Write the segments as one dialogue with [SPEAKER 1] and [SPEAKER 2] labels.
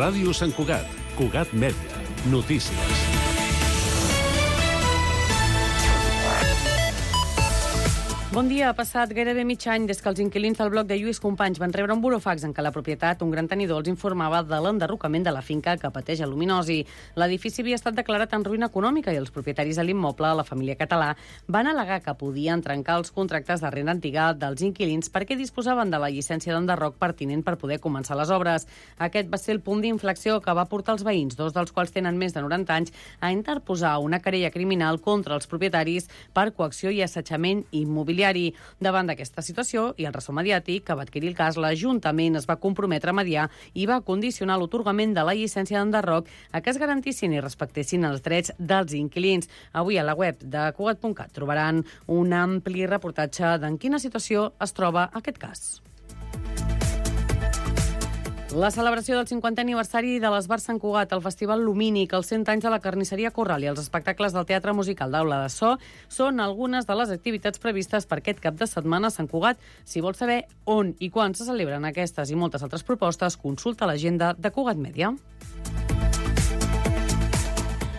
[SPEAKER 1] Ràdio Sant Cugat, Cugat Mèdia, notícies.
[SPEAKER 2] Bon dia. Ha passat gairebé mig any des que els inquilins del bloc de Lluís Companys van rebre un burofax en què la propietat, un gran tenidor, els informava de l'enderrocament de la finca que pateix aluminosi. L'edifici havia estat declarat en ruïna econòmica i els propietaris de l'immoble, la família Català, van al·legar que podien trencar els contractes de renda antiga dels inquilins perquè disposaven de la llicència d'enderroc pertinent per poder començar les obres. Aquest va ser el punt d'inflexió que va portar els veïns, dos dels quals tenen més de 90 anys, a interposar una querella criminal contra els propietaris per coacció i assetjament immobiliari. Davant d'aquesta situació i el ressò mediàtic que va adquirir el cas, l'Ajuntament es va comprometre a mediar i va condicionar l'atorgament de la llicència d'enderroc a que es garantissin i respectessin els drets dels inquilins. Avui a la web de Cugat.cat trobaran un ampli reportatge d'en quina situació es troba aquest cas. La celebració del 50è aniversari de l'Esbar Sant Cugat, el Festival Lumínic, els 100 anys de la Carnisseria Corral i els espectacles del Teatre Musical d'Aula de So són algunes de les activitats previstes per aquest cap de setmana a Sant Cugat. Si vols saber on i quan se celebren aquestes i moltes altres propostes, consulta l'agenda de Cugat Mèdia.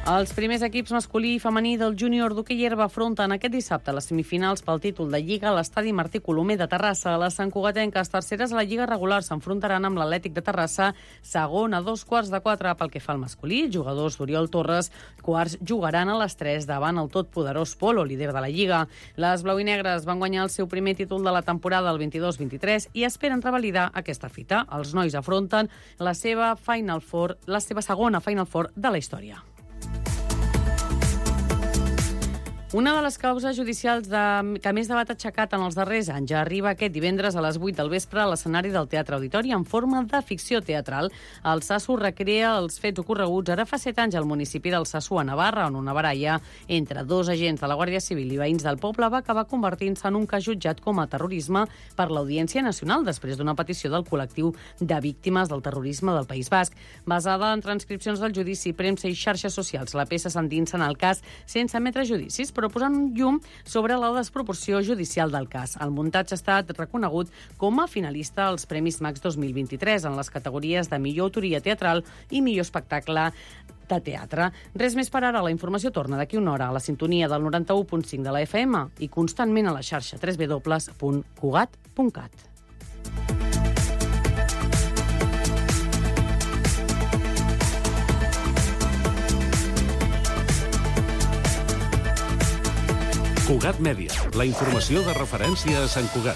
[SPEAKER 2] Els primers equips masculí i femení del júnior d'hoquei herba afronten aquest dissabte les semifinals pel títol de Lliga a l'estadi Martí Colomer de Terrassa. Les santcugatenques terceres a la Lliga regular s'enfrontaran amb l'Atlètic de Terrassa, segon a 3:15 pel que fa al masculí. Jugadors d'Oriol Torres, quarts, jugaran a les 3 davant el totpoderós Polo, líder de la Lliga. Les blau-i-negres van guanyar el seu primer títol de la temporada el 22-23 i esperen revalidar aquesta fita. Els nois afronten la seva segona Final Four de la història. Una de les causes judicials que més debat ha aixecat en els darrers anys ja arriba aquest divendres a les 8 del vespre a l'escenari del Teatre Auditori en forma de ficció teatral. El Sasso recrea els fets ocorreguts ara fa 7 anys al municipi del Sasso, a Navarra, on una baralla entre dos agents de la Guàrdia Civil i veïns del poble va acabar convertint-se en un cas jutjat com a terrorisme per l'Audiència Nacional després d'una petició del col·lectiu de víctimes del terrorisme del País Basc. Basada en transcripcions del judici, premsa i xarxes socials, la peça s'endinsa en el cas sense emetre judicis, però posant un llum sobre la desproporció judicial del cas. El muntatge ha estat reconegut com a finalista als Premis Max 2023 en les categories de millor autoria teatral i millor espectacle de teatre. Res més per ara. La informació torna d'aquí una hora a la sintonia del 91.5 de la FM i constantment a la xarxa www.cugat.cat.
[SPEAKER 1] Cugat Mèdia, la informació de referència a Sant Cugat.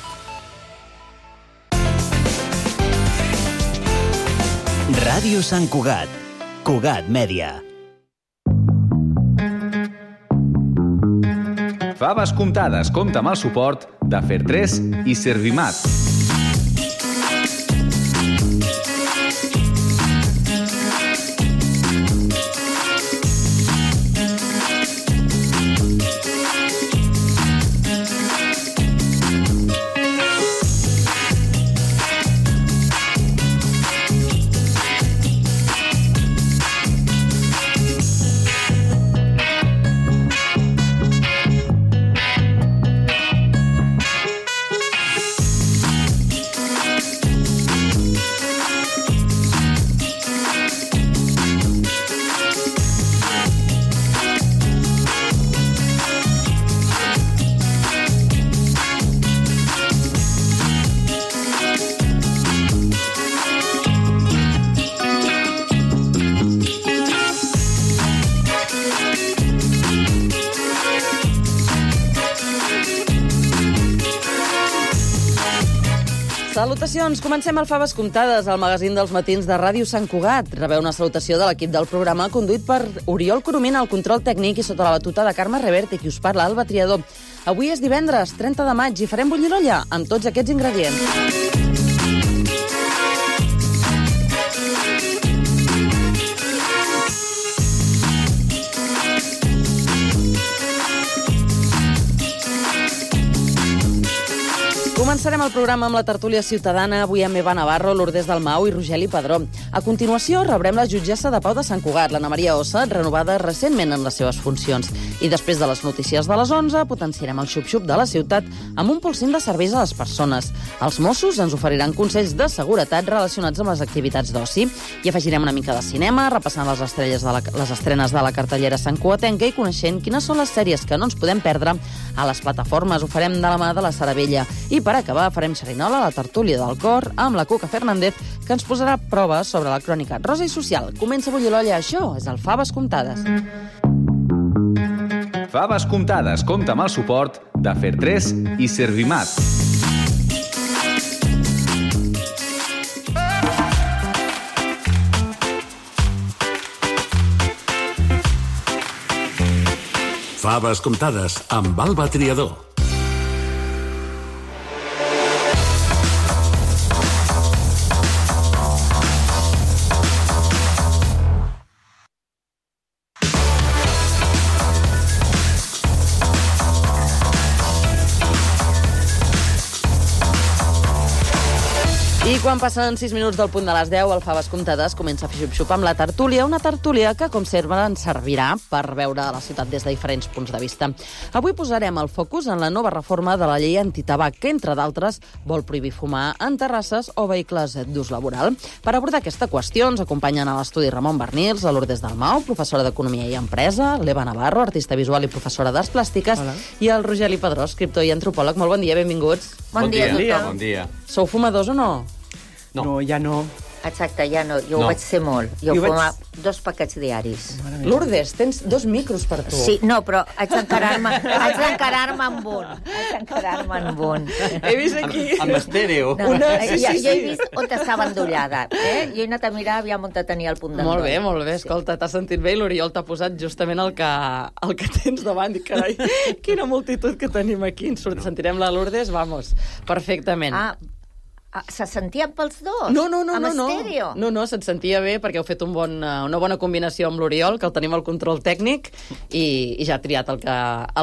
[SPEAKER 3] Ràdio Sant Cugat, Cugat Mèdia.
[SPEAKER 4] Faves comptades compta amb el suport de Fer3 i Servimat.
[SPEAKER 5] Salutacions! Comencem el Faves Comptades, el magazín dels matins de Ràdio Sant Cugat. Rebeu una salutació de l'equip del programa conduït per Oriol Coromina al control tècnic i sota la batuta de Carme Reverte, qui us parla, Alba Triador. Avui és divendres, 30 de maig, i farem bullir l'olla amb tots aquests ingredients. Començarem el programa amb la tertúlia ciutadana, avui amb Eva Navarro, Lourdes Dalmau i Rogeli Padró. A continuació rebrem la jutgessa de Pau de Sant Cugat, l'Anna Maria Ossa, renovada recentment en les seves funcions. I després de les notícies de les 11, potenciarem el xup-xup de la ciutat amb un polsim de serveis a les persones. Els Mossos ens oferiran consells de seguretat relacionats amb les activitats d'oci. I afegirem una mica de cinema, repassant les estrenes de la cartellera santcugatenca i coneixent quines són les sèries que no ens podem perdre a les plataformes. Ho farem de la mà de la Sara Vella. I per acabar farem xerinola a la tertúlia del cor amb la Cuca Fernández, que ens posarà proves sobre la crònica rosa i social. Comença a bullir l'olla, això és el Faves Comptades.
[SPEAKER 4] Faves Comptades compta amb el suport de Fer3 i Servimat.
[SPEAKER 1] Faves Comptades amb Alba Triador.
[SPEAKER 5] I quan passen 6 minuts del punt de les 10, el Faves Comptades comença a fer xup-xup amb la tertúlia, una tertúlia que, com sempre, ens servirà per veure la ciutat des de diferents punts de vista. Avui posarem el focus en la nova reforma de la llei antitabac, que, entre d'altres, vol prohibir fumar en terrasses o vehicles d'ús laboral. Per abordar aquesta qüestió ens acompanyen a l'estudi Ramon Bernils, la Lourdes Dalmau, professora d'Economia i Empresa, l'Eva Navarro, artista visual i professora d'Arts Plàstiques, i el Rogeli Padró, escriptor i antropòleg. Molt bon dia, benvinguts.
[SPEAKER 6] Bon dia a tothom.
[SPEAKER 4] Bon dia.
[SPEAKER 5] Sou fumadors o no?
[SPEAKER 7] No, ja no.
[SPEAKER 6] Exacte, ja no. Jo ho vaig ser molt. Jo fumava 2 paquets diaris.
[SPEAKER 5] Lourdes, tens 2 micros per tu.
[SPEAKER 6] Sí, no, però haig d'encarar-me amb un.
[SPEAKER 5] He vist aquí...
[SPEAKER 7] Amb estèreo.
[SPEAKER 6] No, jo he vist on estava endollada. Jo he anat a mirar aviam on tenia el punt d'endoll.
[SPEAKER 5] Molt bé. Escolta, t'has sentit bé i l'Oriol t'ha posat justament el que tens davant. I carai, quina multitud que tenim aquí. Sentirem la Lourdes, vamos, perfectament.
[SPEAKER 6] Se sentien pels dos?
[SPEAKER 5] No.
[SPEAKER 6] Amb estèreo?
[SPEAKER 5] No, se't sentia bé perquè heu fet una bona combinació amb l'Oriol, que el tenim al control tècnic, i ja ha triat el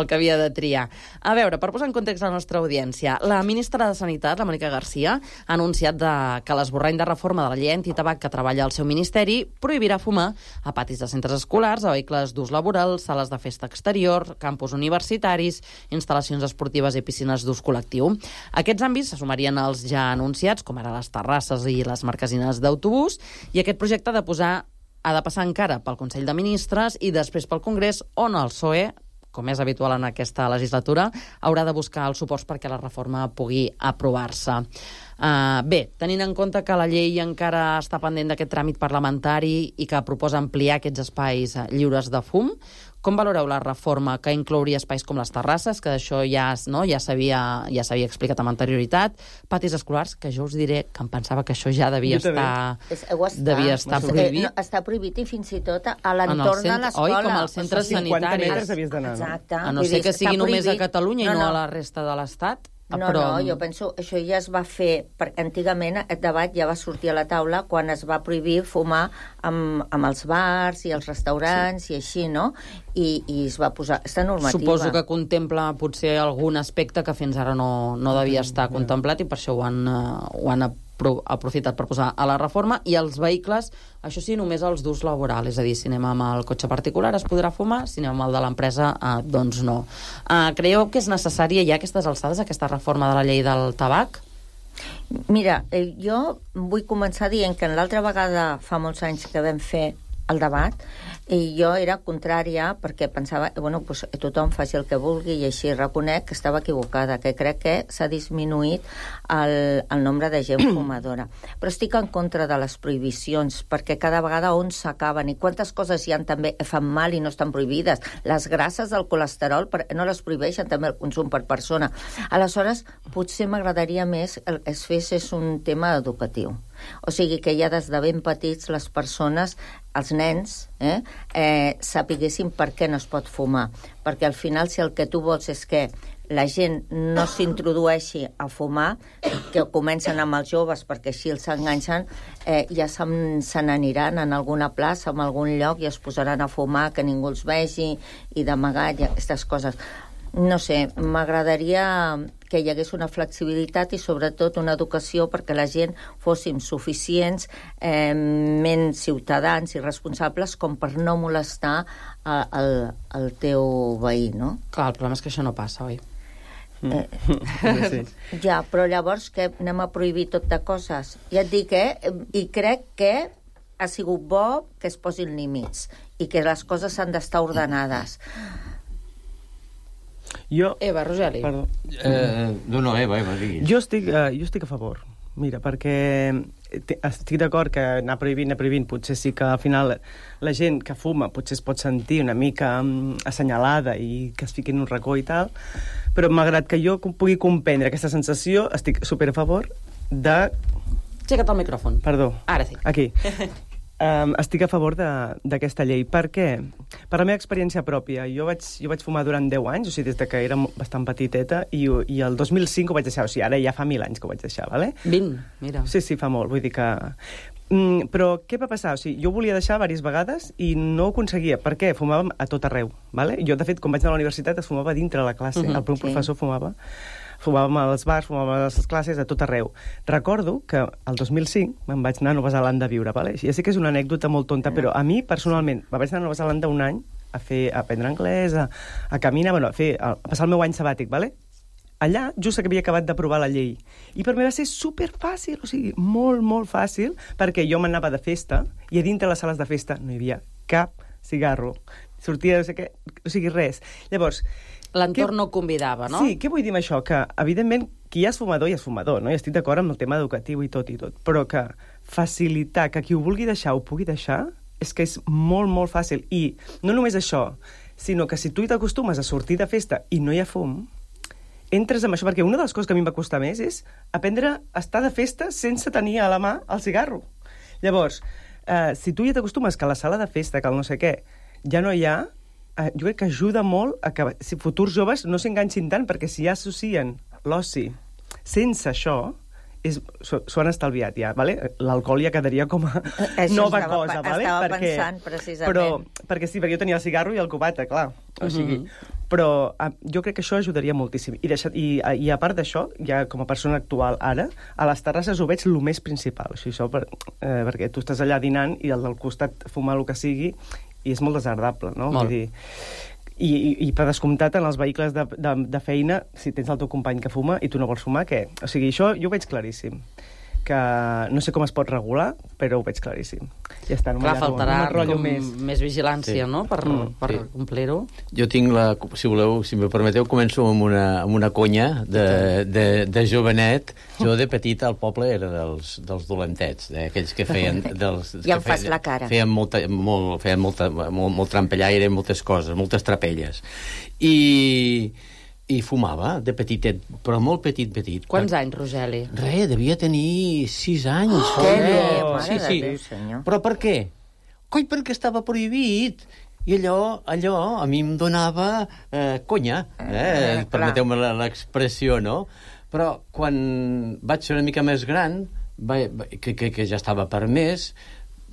[SPEAKER 5] que havia de triar. A veure, per posar en context la nostra audiència, la ministra de Sanitat, la Mònica Garcia, ha anunciat que l'esborrany de reforma de la llei antitabac que treballa al seu ministeri prohibirà fumar a patis de centres escolars, a vehicles d'ús laboral, sales de festa exterior, campus universitaris, instal·lacions esportives i piscines d'ús col·lectiu. Aquests àmbits se sumarien als ja anunciats, com ara les terrasses i les marquesines d'autobús, i aquest projecte ha de passar encara pel Consell de Ministres i després pel Congrés, on el PSOE, com és habitual en aquesta legislatura, haurà de buscar els suports perquè la reforma pugui aprovar-se. Bé, tenint en compte que la llei encara està pendent d'aquest tràmit parlamentari i que proposa ampliar aquests espais lliures de fum, com valoreu la reforma que inclouria espais com les terrasses, que d'això ja s'havia explicat amb anterioritat, patis escolars, que jo us diré que em pensava que això ja devia estar prohibit.
[SPEAKER 6] Està prohibit i fins i tot a l'entorn de l'escola.
[SPEAKER 5] Oi, com als centres sanitaris.
[SPEAKER 7] 50 metres havies d'anar.
[SPEAKER 6] Exacte.
[SPEAKER 5] A no ser que sigui només a Catalunya i no a la resta de l'Estat.
[SPEAKER 6] No, jo penso, això ja es va fer, perquè antigament aquest debat ja va sortir a la taula quan es va prohibir fumar amb els bars i els restaurants i així, no? I es va posar aquesta normativa.
[SPEAKER 5] Suposo que contempla potser algun aspecte que fins ara no devia estar contemplat i per això ho han aprofitat per posar a la reforma. I els vehicles, això sí, només els d'ús laboral, és a dir, si anem amb el cotxe particular es podrà fumar, si anem amb el de l'empresa, doncs no. Creieu que és necessària ja a aquestes alçades aquesta reforma de la llei del tabac?
[SPEAKER 6] Mira, jo vull començar dient que l'altra vegada, fa molts anys que vam fer el debat, i jo era contrària perquè pensava, pues, tothom faci el que vulgui i així reconec que estava equivocada, que crec que s'ha disminuït el nombre de gent fumadora. Però estic en contra de les prohibicions perquè cada vegada on s'acaben i quantes coses hi ha també fan mal i no estan prohibides. Les grasses del colesterol no les prohibeixen també el consum per persona. Aleshores, potser m'agradaria més que es fes un tema educatiu. O sigui, que ja des de ben petits les persones, els nens, sapiguessin per què no es pot fumar. Perquè al final, si el que tu vols és que la gent no s'introdueixi a fumar, que comencen amb els joves perquè així els enganxen, ja se n'aniran en alguna plaça, en algun lloc, i es posaran a fumar, que ningú els vegi, i d'amagat, i aquestes coses. No sé, m'agradaria que hi hagués una flexibilitat i sobretot una educació perquè la gent fóssim suficients, ciutadans i responsables com per no molestar el teu veí, no?
[SPEAKER 5] Clar, el problema és que això no passa, oi?
[SPEAKER 7] Sí.
[SPEAKER 6] Ja, però llavors que anem a prohibir tot de coses. Ja et dic, i crec que ha sigut bo que es posin límits i que les coses han d'estar ordenades.
[SPEAKER 5] Eva, Rogeli.
[SPEAKER 7] Perdó.
[SPEAKER 8] No, Eva, diguis.
[SPEAKER 7] Jo estic a favor. Mira, perquè estic d'acord que anar prohibint, potser sí que al final la gent que fuma potser es pot sentir una mica assenyalada i que es fiqui en un racó i tal, però malgrat que jo pugui comprendre aquesta sensació, estic super a favor de...
[SPEAKER 5] Aixeca't el micròfon.
[SPEAKER 7] Perdó.
[SPEAKER 5] Ara sí.
[SPEAKER 7] Aquí. Estic a favor d'aquesta llei. Per què? Per la meva experiència pròpia. Jo vaig fumar durant 10 anys, o sigui, des que era bastant petiteta, i el 2005 ho vaig deixar. O sigui, ara ja fa 1000 anys que ho vaig deixar, vale?
[SPEAKER 5] 20, mira.
[SPEAKER 7] Sí, fa molt. Vull dir que... Però què va passar? O sigui, jo ho volia deixar diverses vegades i no ho aconseguia. Per què? Fumàvem a tot arreu, vale? Jo, de fet, quan vaig anar a la universitat es fumava dintre la classe. El professor fumava. Fumàvem als bars, fumàvem a les classes, a tot arreu. Recordo que el 2005 me'n vaig anar a Nova Zelanda a viure, vale? Ja sé que és una anècdota molt tonta, però a mi, personalment, vaig anar a Nova Zelanda un any a aprendre anglès, a caminar, a passar el meu any sabàtic, vale? Allà, just que havia acabat d'aprovar la llei. I per mi va ser superfàcil, o sigui, molt, molt fàcil, perquè jo m'anava de festa i a dintre les sales de festa no hi havia cap cigarro. Sortia, no sé què, o sigui, res. Llavors...
[SPEAKER 5] L'entorn no convidava, no?
[SPEAKER 7] Sí, què vull dir amb això? Que, evidentment, qui ja és fumador, no? I estic d'acord amb el tema educatiu i tot, però que facilitar que qui ho vulgui deixar ho pugui deixar és que és molt, molt fàcil. I no només això, sinó que si tu t'acostumes a sortir de festa i no hi ha fum, entres amb això, perquè una de les coses que a mi em va costar més és aprendre a estar de festa sense tenir a la mà el cigarro. Llavors, si tu ja t'acostumes que a la sala de festa, que el no sé què, ja no hi ha, jo crec que ajuda molt a que si futurs joves no s'enganxin tant, perquè si ja associen l'oci sense això, s'ho han estalviat ja, vale? L'alcohol ja quedaria com a nova cosa, vale?
[SPEAKER 6] Estava pensant, precisament.
[SPEAKER 7] Perquè jo tenia el cigarro i el cubata, clar. O sigui, però jo crec que això ajudaria moltíssim. I a part d'això, ja com a persona actual ara, a les terrasses ho veig el més principal. O sigui, això perquè tu estàs allà dinant i al del costat fumar el que sigui i és molt desagradable, no?
[SPEAKER 5] Molt.
[SPEAKER 7] Vull dir, i per descomptat, en els vehicles de feina, si tens el teu company que fuma i tu no vols fumar, què? O sigui, això jo ho veig claríssim. Que no sé com es pot regular, però ho veig claríssim. Ja està, no
[SPEAKER 5] faltarà
[SPEAKER 7] més
[SPEAKER 5] vigilància, no?, per complir-ho.
[SPEAKER 8] Jo tinc si voleu, si me permeteu, començo amb una conya de jovenet. Jo de petit al poble era dels dolentets, aquells que feien...
[SPEAKER 6] Ja em fas la cara.
[SPEAKER 8] Feien molt trampellaire, moltes coses, moltes trapelles. I fumava, de petitet, però molt petit.
[SPEAKER 5] Quants anys, Rogeli?
[SPEAKER 8] Devia tenir 6 anys.
[SPEAKER 6] Què bé, mare de Déu, senyor.
[SPEAKER 8] Però per què? Coi, perquè estava prohibit. I allò a mi em donava conya, permeteu-me l'expressió, no? Però quan vaig ser una mica més gran, que ja estava permès,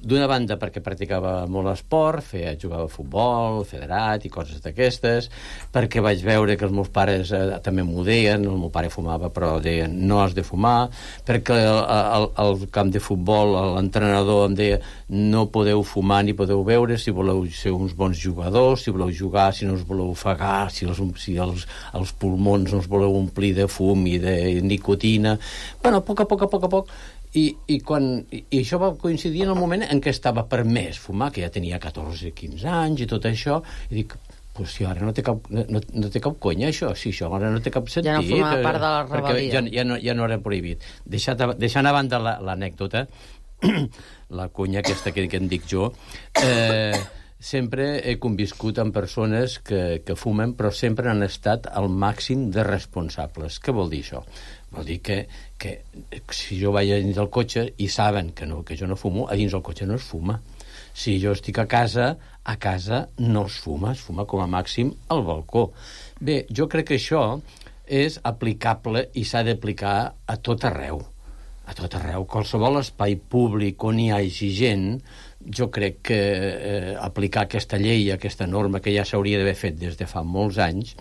[SPEAKER 8] d'una banda perquè practicava molt esport, jugava a futbol, federat i coses d'aquestes, perquè vaig veure que els meus pares també m'ho deien, el meu pare fumava però deien no has de fumar, perquè al camp de futbol l'entrenador em deia no podeu fumar ni podeu beure si voleu ser uns bons jugadors, si voleu jugar, si no us voleu ofegar, si els pulmons no us voleu omplir de fum i de nicotina. Bueno, a poc a poc. I això va coincidir en el moment en què estava permès fumar, que ja tenia 14-15 anys i tot això, i dic, pues si ara no té cap conya això, si això ara no té cap sentit.
[SPEAKER 5] Ja no formava part de la rebel·lia.
[SPEAKER 8] Ja no era prohibit. Deixant a banda l'anècdota, la conya aquesta que en dic jo, sempre he conviscut amb persones que fumen, però sempre han estat al màxim de responsables. Què vol dir això? Vol dir que si jo vaig a dins del cotxe i saben que jo no fumo, a dins del cotxe no es fuma. Si jo estic a casa no es fuma com a màxim al balcó. Bé, jo crec que això és aplicable i s'ha d'aplicar a tot arreu. A tot arreu. Qualsevol espai públic on hi hagi gent, jo crec que aplicar aquesta llei, aquesta norma que ja s'hauria d'haver fet des de fa molts anys,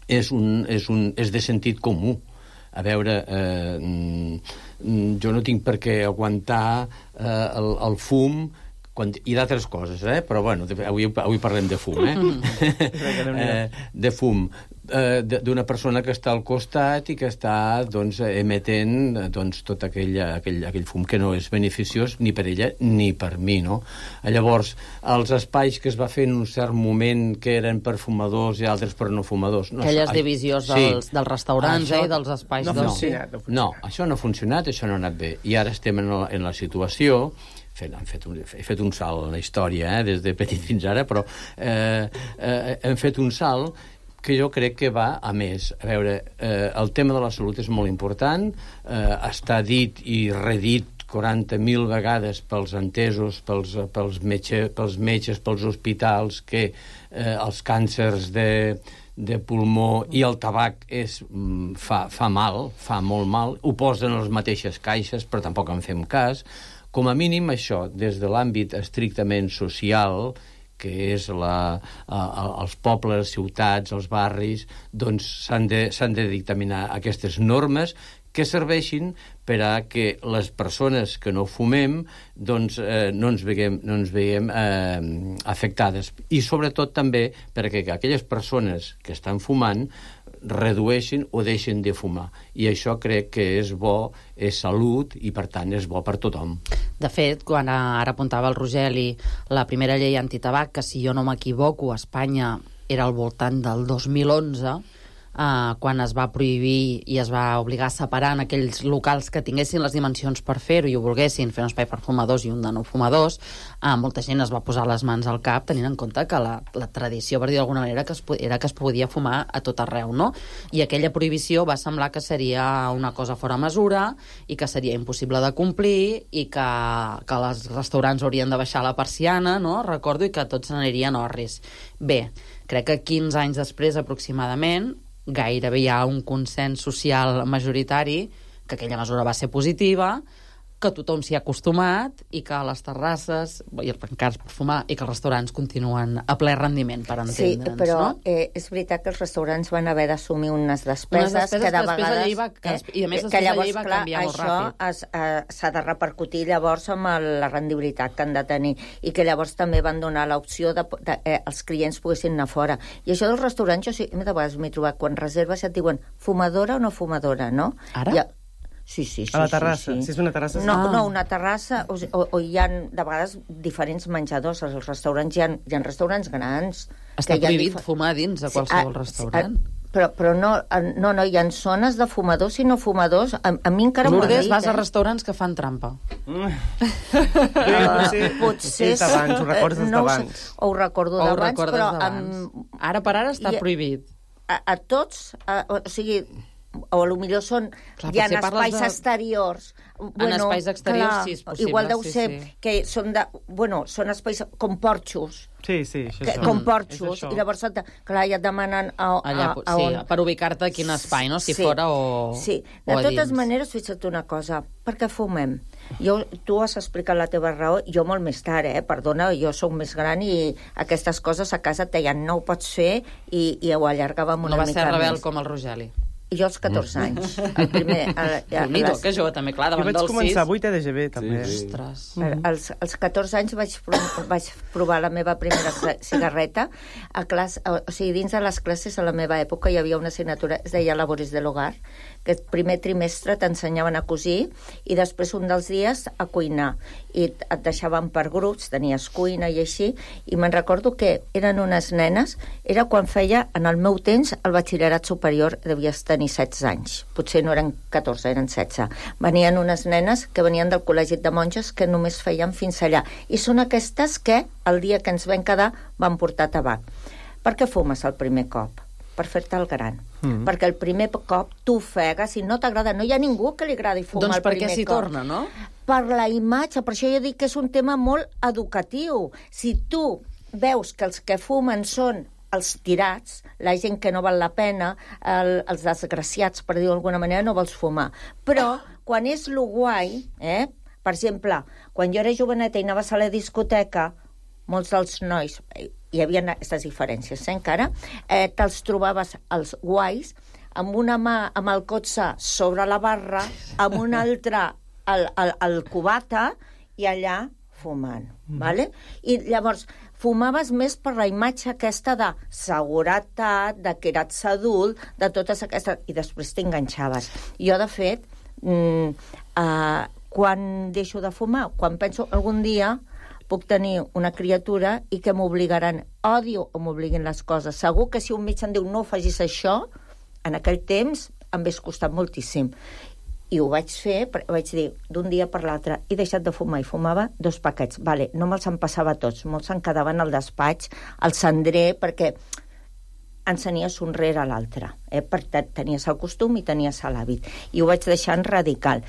[SPEAKER 8] és de sentit comú. A veure, jo no tinc per què aguantar el fum i d'altres coses, però bueno, avui parlem de fum, de fum d'una persona que està al costat i que està emetent tot aquell fum que no és beneficiós ni per ella ni per mi, no? Llavors, els espais que es va fer en un cert moment que eren per fumadors i altres per no fumadors...
[SPEAKER 5] Aquelles divisions dels restaurants i dels espais...
[SPEAKER 8] No, això no ha funcionat, això no ha anat bé. I ara estem en la situació... He fet un salt en la història, des de petit fins ara, però hem fet un salt que jo crec que va a més. A veure, el tema de la salut és molt important, està dit i redit 40.000 vegades pels entesos, pels metges, pels hospitals, que els càncers de pulmó i el tabac fa mal, fa molt mal, ho posen a les mateixes caixes, però tampoc en fem cas. Com a mínim, això, des de l'àmbit estrictament social, que és els pobles, ciutats, els barris, doncs s'han de dictaminar aquestes normes que serveixin per a que les persones que no fumem doncs, no ens veiem afectades. I sobretot també perquè aquelles persones que estan fumant redueixin o deixin de fumar. I això crec que és bo, és salut i, per tant, és bo per tothom.
[SPEAKER 5] De fet, quan ara apuntava el Rogeli, la primera llei antitabac, que si jo no m'equivoco, a Espanya era al voltant del 2011, quan es va prohibir i es va obligar a separar en aquells locals que tinguessin les dimensions per fer-ho i ho volguessin, fer un espai per fumadors i un de no fumadors, molta gent es va posar les mans al cap tenint en compte que la tradició, per dir d'alguna manera, era que es podia fumar a tot arreu, no? I aquella prohibició va semblar que seria una cosa fora mesura i que seria impossible de complir i que els restaurants haurien de baixar la persiana, no? Recordo, i que tots n'anirien orris. Bé, crec que 15 anys després, aproximadament, gairebé hi ha un consens social majoritari que aquella mesura va ser positiva, que tothom s'hi ha acostumat i que les terrasses i els bancars per fumar i que els restaurants continuen a ple rendiment, per entendre'ns,
[SPEAKER 6] sí, però,
[SPEAKER 5] no?
[SPEAKER 6] És veritat que els restaurants van haver d'assumir unes despeses que de vegades...
[SPEAKER 5] I a més, després la llei va canviar molt ràpid.
[SPEAKER 6] Això s'ha de repercutir llavors amb la rendibilitat que han de tenir i que llavors també van donar l'opció de els clients poguessin anar fora. I això dels restaurants, jo sí, de vegades m'he trobat, quan reserves et diuen fumadora o no fumadora, no?
[SPEAKER 5] Ara?
[SPEAKER 6] Sí.
[SPEAKER 7] A la terrassa? Si és una terrassa...
[SPEAKER 6] No, una terrassa, o hi ha, de vegades, diferents menjadors. Als restaurants hi ha restaurants grans.
[SPEAKER 5] Està prohibit fumar dins de qualsevol restaurant?
[SPEAKER 6] Però no, hi ha zones de fumadors i no fumadors. A mi encara m'ho ha dit.
[SPEAKER 5] Lourdes, vas a restaurants que fan trampa.
[SPEAKER 6] Potser...
[SPEAKER 7] Ho recordes d'abans.
[SPEAKER 6] Ho recordo d'abans, però...
[SPEAKER 5] Ara per ara està prohibit.
[SPEAKER 6] A tots, o sigui... o potser són... Hi ha espais exteriors.
[SPEAKER 5] En espais exteriors, sí, és possible.
[SPEAKER 6] Igual deu ser que són són espais com porxos.
[SPEAKER 7] Sí, això.
[SPEAKER 6] Com porxos. I llavors, clar, ja et demanen
[SPEAKER 5] per ubicar-te a quin espai, no? Si fora o
[SPEAKER 6] sí. De totes maneres, fixa't una cosa. Per què fumem? Tu has explicat la teva raó, jo molt més tard, perdona, jo sóc més gran i aquestes coses a casa et deien no ho pots fer i ho allargàvem una mica més.
[SPEAKER 5] No va ser rebel com el Rogeli.
[SPEAKER 6] Jo als 14 anys. El primer...
[SPEAKER 5] que jove, també, clar, davant dels 6.
[SPEAKER 7] Jo vaig començar a 8 d'EGB, també.
[SPEAKER 5] Ostres.
[SPEAKER 6] Als 14 anys vaig provar la meva primera cigarreta. O sigui, dins de les classes, a la meva època, hi havia una assignatura, es deia Labores de l'Hogar, que el primer trimestre t'ensenyaven a cosir i després un dels dies a cuinar. I et deixaven per grups, tenies cuina i així, i me'n recordo que eren unes nenes, era quan feia, en el meu temps, el batxillerat superior, devies tenir 16 anys. Potser no eren 14, eren 16. Venien unes nenes que venien del col·legi de monges que només feien fins allà. I són aquestes que, el dia que ens vam quedar, van portar tabac. Per què fumes el primer cop? Per fer-te el gran. Perquè el primer cop tu ofegues i no t'agrada. No hi ha ningú que li agradi fumar el primer cop.
[SPEAKER 5] Doncs per què s'hi torna, no?
[SPEAKER 6] Per la imatge. Per això jo dic que és un tema molt educatiu. Si tu veus que els que fumen són els tirats, la gent que no val la pena, els desgraciats, per dir-ho d'alguna manera, no vols fumar. Però quan és lo guai, per exemple, quan jo era joveneta i anaves a la discoteca, molts dels nois, hi havia aquestes diferències, encara, te'ls trobaves els guais amb una mà amb el cotxe sobre la barra, amb una altra al cubata i allà fumant, ¿vale? I llavors fumaves més per la imatge aquesta de seguretat, de que eres adult, de totes aquestes... I després t'enganxaves. Jo, de fet, quan deixo de fumar, quan penso algun dia puc tenir una criatura i que m'obligaran, odio o m'obliguin les coses. Segur que si un metge em diu no facis això, en aquell temps em hauria costat moltíssim. I ho vaig fer, vaig dir, d'un dia per l'altre, he deixat de fumar i fumava 2 paquets. Vale, no me'ls empassava tots, molts se'n quedaven al despatx, al cendrer, perquè ens anies un rere l'altre. Perquè tenies el costum i tenies l'hàbit. I ho vaig deixar en radical.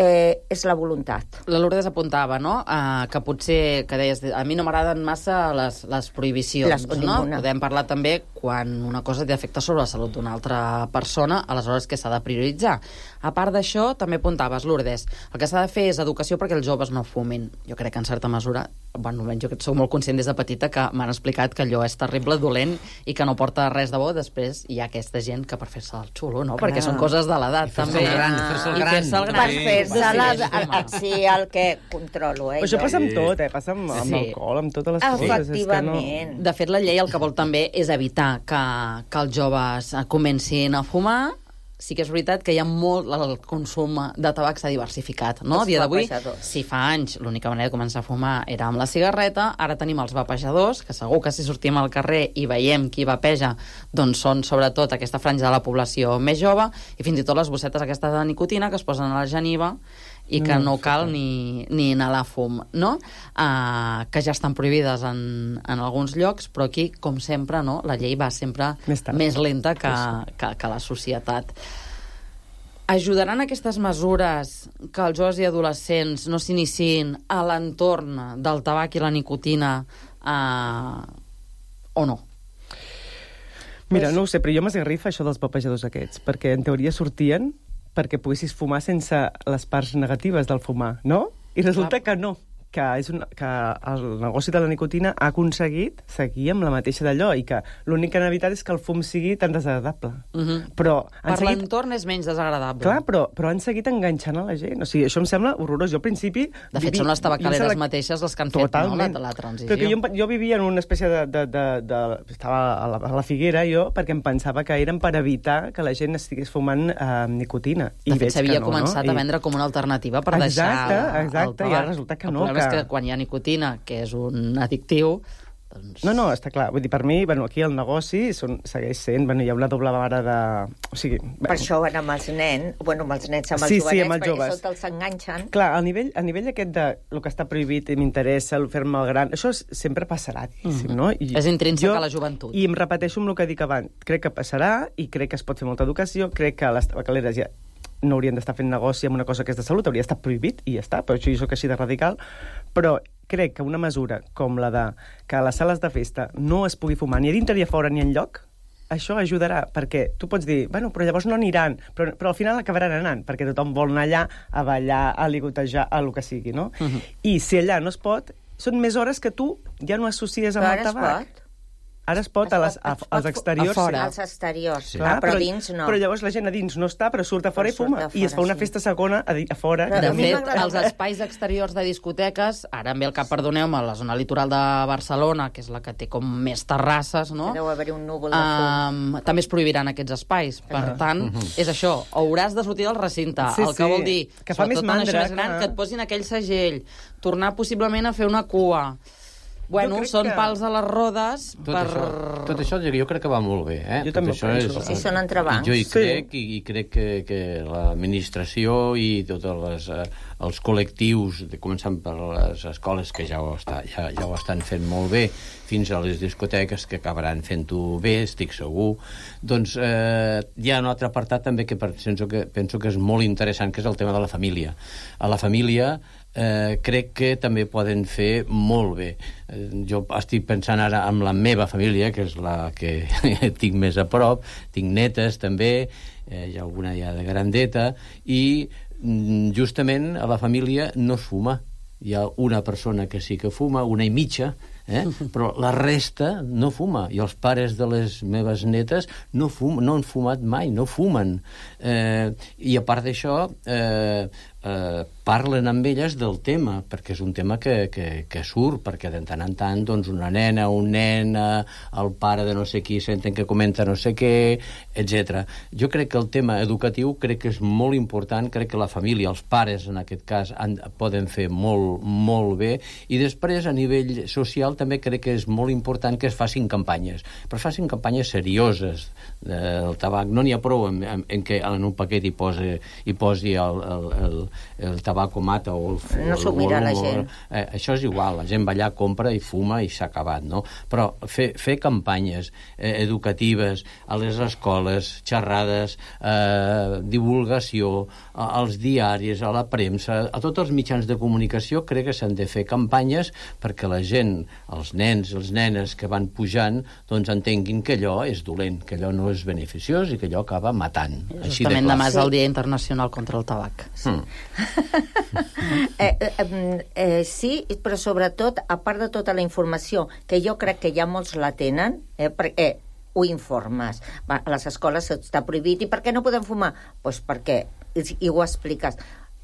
[SPEAKER 6] És la voluntat.
[SPEAKER 5] La Lourdes apuntava, no?, que potser, que deies, a mi no m'agraden massa les prohibicions, no? Podem parlar també quan una cosa té efecte sobre la salut d'una altra persona, aleshores que s'ha de prioritzar. A part d'això, també apuntaves, Lourdes, el que s'ha de fer és educació perquè els joves no fumin. Jo crec que en certa mesura, bueno, jo soc molt conscient des de petita que m'han explicat que allò és terrible, dolent i que no porta res de bo. Després hi ha aquesta gent que per fer-se el xulo, no? Perquè són coses de l'edat, també.
[SPEAKER 8] Fer-se el gran.
[SPEAKER 6] Per fer-se sí, el que controlo.
[SPEAKER 7] Però això passa amb tot, passa amb alcohol, amb totes les coses.
[SPEAKER 6] Efectivament.
[SPEAKER 5] De fet, la llei el que vol també és evitar que els joves comencin a fumar. Sí que és veritat que hi ha molt... El consum de tabac s'ha diversificat, no? A dia d'avui, si fa anys l'única manera de començar a fumar era amb la cigarreta, ara tenim els vapejadors, que segur que si sortim al carrer i veiem qui vapeja, doncs són sobretot aquesta franja de la població més jove, i fins i tot les bossetes aquestes de nicotina que es posen a la geniva i que no cal ni inhalar fum, no? Que ja estan prohibides en alguns llocs, però aquí, com sempre, no? La llei va sempre més lenta que la societat. Ajudaran aquestes mesures que els joves i adolescents no s'iniciïn a l'entorn del tabac i la nicotina o no?
[SPEAKER 7] Mira, no ho sé, però jo m'esgarrifa això dels vapejadors aquests, perquè en teoria sortien perquè poguessis fumar sense les parts negatives del fumar, no? I resulta que no, que el negoci de la nicotina ha aconseguit seguir amb la mateixa d'allò i que l'únic que han evitat és que el fum sigui tan desagradable. Però per
[SPEAKER 5] l'entorn és menys desagradable.
[SPEAKER 7] Clar, però han seguit enganxant a la gent. O sigui, això em sembla horrorós. Jo al principi...
[SPEAKER 5] De fet, són les tabacaleres mateixes les que han fet la transició.
[SPEAKER 7] Però jo vivia en una espècie estava a la Figuera, jo, perquè em pensava que eren per evitar que la gent estigués fumant nicotina.
[SPEAKER 5] De fet, s'havia començat a vendre com una alternativa per deixar el
[SPEAKER 7] tabac. I ara resulta que no.
[SPEAKER 5] És que quan hi ha nicotina, que és un addictiu, doncs...
[SPEAKER 7] No, està clar. Vull dir, per mi, aquí el negoci segueix sent... Hi ha una doble vara de... O sigui...
[SPEAKER 6] Per això van amb els nens, amb els nens, amb els jovenets, perquè sota els enganxen.
[SPEAKER 7] Clar, a nivell aquest de el que està prohibit i m'interessa, el fer-me el gran, això sempre passarà, diguéssim, no?
[SPEAKER 5] És intrínsec a la joventut.
[SPEAKER 7] I em repeteixo amb el que dic abans. Crec que passarà i crec que es pot fer molta educació, crec que les tabacaleres ja no haurien d'estar fent negoci amb una cosa que és de salut, hauria d'estar prohibit i ja està, però això jo soc així de radical, però crec que una mesura com la de que a les sales de festa no es pugui fumar ni a dintre ni a fora ni enlloc, això ajudarà, perquè tu pots dir, però llavors no aniran, però al final acabaran anant, perquè tothom vol anar allà a ballar, a ligotejar, a el que sigui, no? I si allà no es pot, són més hores que tu ja no associes amb el tabac. Ara es pot als exteriors.
[SPEAKER 6] Als exteriors, però dins no.
[SPEAKER 7] Però llavors la gent a dins no està, però surt a fora i fuma. I es fa una festa segona a fora.
[SPEAKER 5] De fet, els espais exteriors de discoteques, ara em ve al cap, perdoneu-me, la zona litoral de Barcelona, que és la que té com més terrasses, no?
[SPEAKER 6] Deu haver-hi un núvol de fum.
[SPEAKER 5] També es prohibiran aquests espais. Per tant, és això, hauràs de sortir del recinte. El que vol dir,
[SPEAKER 7] que fa més mandra,
[SPEAKER 5] que et posin aquell segell, tornar possiblement a fer una cua... Bueno, són pals a les rodes
[SPEAKER 8] Tot això jo crec que va molt bé, eh?
[SPEAKER 7] Jo també ho penso.
[SPEAKER 6] Sí, són entrebancs.
[SPEAKER 8] Jo hi crec que l'administració i tots els col·lectius, començant per les escoles, que ja ho estan fent molt bé, fins a les discoteques, que acabaran fent-ho bé, estic segur. Doncs hi ha un altre apartat també que penso que és molt interessant, que és el tema de la família. A la família crec que també poden fer molt bé. Jo estic pensant ara en la meva família, que és la que tinc més a prop, tinc netes també, hi ha alguna ja de grandeta, i justament a la família no es fuma. Hi ha una persona que sí que fuma, una i mitja, Però la resta no fuma, i els pares de les meves netes no han fumat mai, no fumen. I a part d'això, parlen amb elles del tema, perquè és un tema que surt, perquè de tant en tant doncs, una nena, un nen, el pare de no sé qui senten que comenta no sé què, etc. Jo crec que el tema educatiu crec que és molt important, crec que la família, els pares en aquest cas, poden fer molt, molt bé, i després a nivell social també crec que és molt important que es facin campanyes, però es facin campanyes serioses del tabac. No n'hi ha prou en què en un paquet hi posi el tabac o mata o el...
[SPEAKER 6] No s'ho mira la gent.
[SPEAKER 8] Això és igual, la gent va allà, compra i fuma i s'ha acabat, no? Però fer campanyes educatives a les escoles, xerrades, divulgació, als diaris, a la premsa, a tots els mitjans de comunicació, crec que s'han de fer campanyes perquè la gent, els nens, les nenes que van pujant, doncs entenguin que allò és dolent, que allò no és beneficiós i que allò acaba matant.
[SPEAKER 2] Justament demà és el Dia Internacional contra el Tabac.
[SPEAKER 6] Sí, però sobretot, a part de tota la informació, que jo crec que ja molts la tenen, perquè ho informes. A les escoles està prohibit. I per què no podem fumar? Doncs perquè, i ho expliques.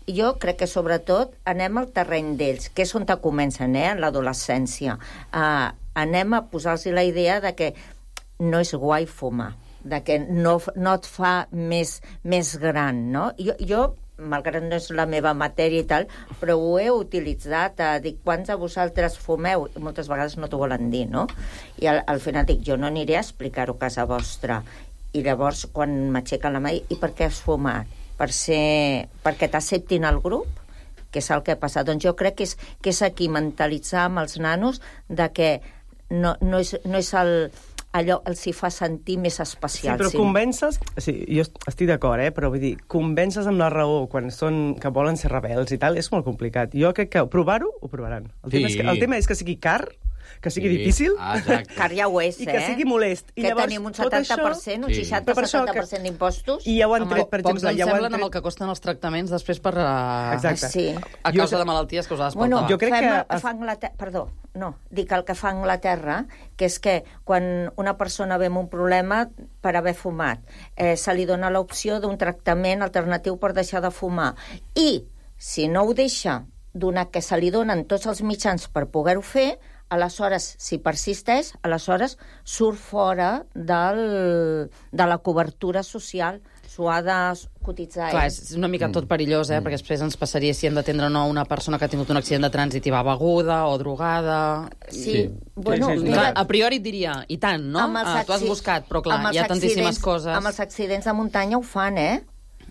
[SPEAKER 6] Jo crec que sobretot anem al terreny d'ells, que és on comencen, en l'adolescència. Anem a posar-los la idea de que no és guai fumar, de que no et fa més gran, no? Jo malgrat no és la meva matèria i tal, però ho he utilitzat a dir, quants de vosaltres fumeu? I moltes vegades no t'ho volen dir, no? I al final dic, jo no aniré a explicar-ho a casa vostra. I llavors, quan m'aixequen la mà, i per què has fumat? Perquè t'acceptin al grup? Que és el que ha passat. Doncs jo crec que és aquí mentalitzar amb els nanos de que no és allò els hi fa sentir més especial.
[SPEAKER 7] Sí, però convences... Sí, jo estic d'acord, però vull dir, convences amb la raó quan que volen ser rebels i tal, és molt complicat. Jo crec que provar-ho, ho provaran. El tema és que sigui car, que sigui difícil,
[SPEAKER 6] car ja ho és,
[SPEAKER 7] i que sigui molest. I
[SPEAKER 6] que
[SPEAKER 7] llavors,
[SPEAKER 6] tenim un 70%, un 60-70% d'impostos.
[SPEAKER 7] I ja ho han tret, per exemple...
[SPEAKER 2] Pocs ens semblen amb el que costen els tractaments després per... a causa de malalties causades pel tabac.
[SPEAKER 7] Jo crec
[SPEAKER 6] que... Perdó, no, dic el que fa Anglaterra, que és que quan una persona ve amb un problema per haver fumat, se li dona l'opció d'un tractament alternatiu per deixar de fumar. I, si no ho deixa, donat que se li donen tots els mitjans per poder-ho fer, aleshores, si persisteix, aleshores surt fora de la cobertura social. S'ho ha de cotitzar.
[SPEAKER 2] Clar, és una mica tot perillós, perquè després ens passaria si hem d'atendre o no una persona que ha tingut un accident de trànsit i va beguda o drogada...
[SPEAKER 6] Sí. Bueno,
[SPEAKER 2] clar, a priori et diria, i tant, no? Tu has buscat, però clar, hi ha tantíssimes coses...
[SPEAKER 6] Amb els accidents de muntanya ho fan,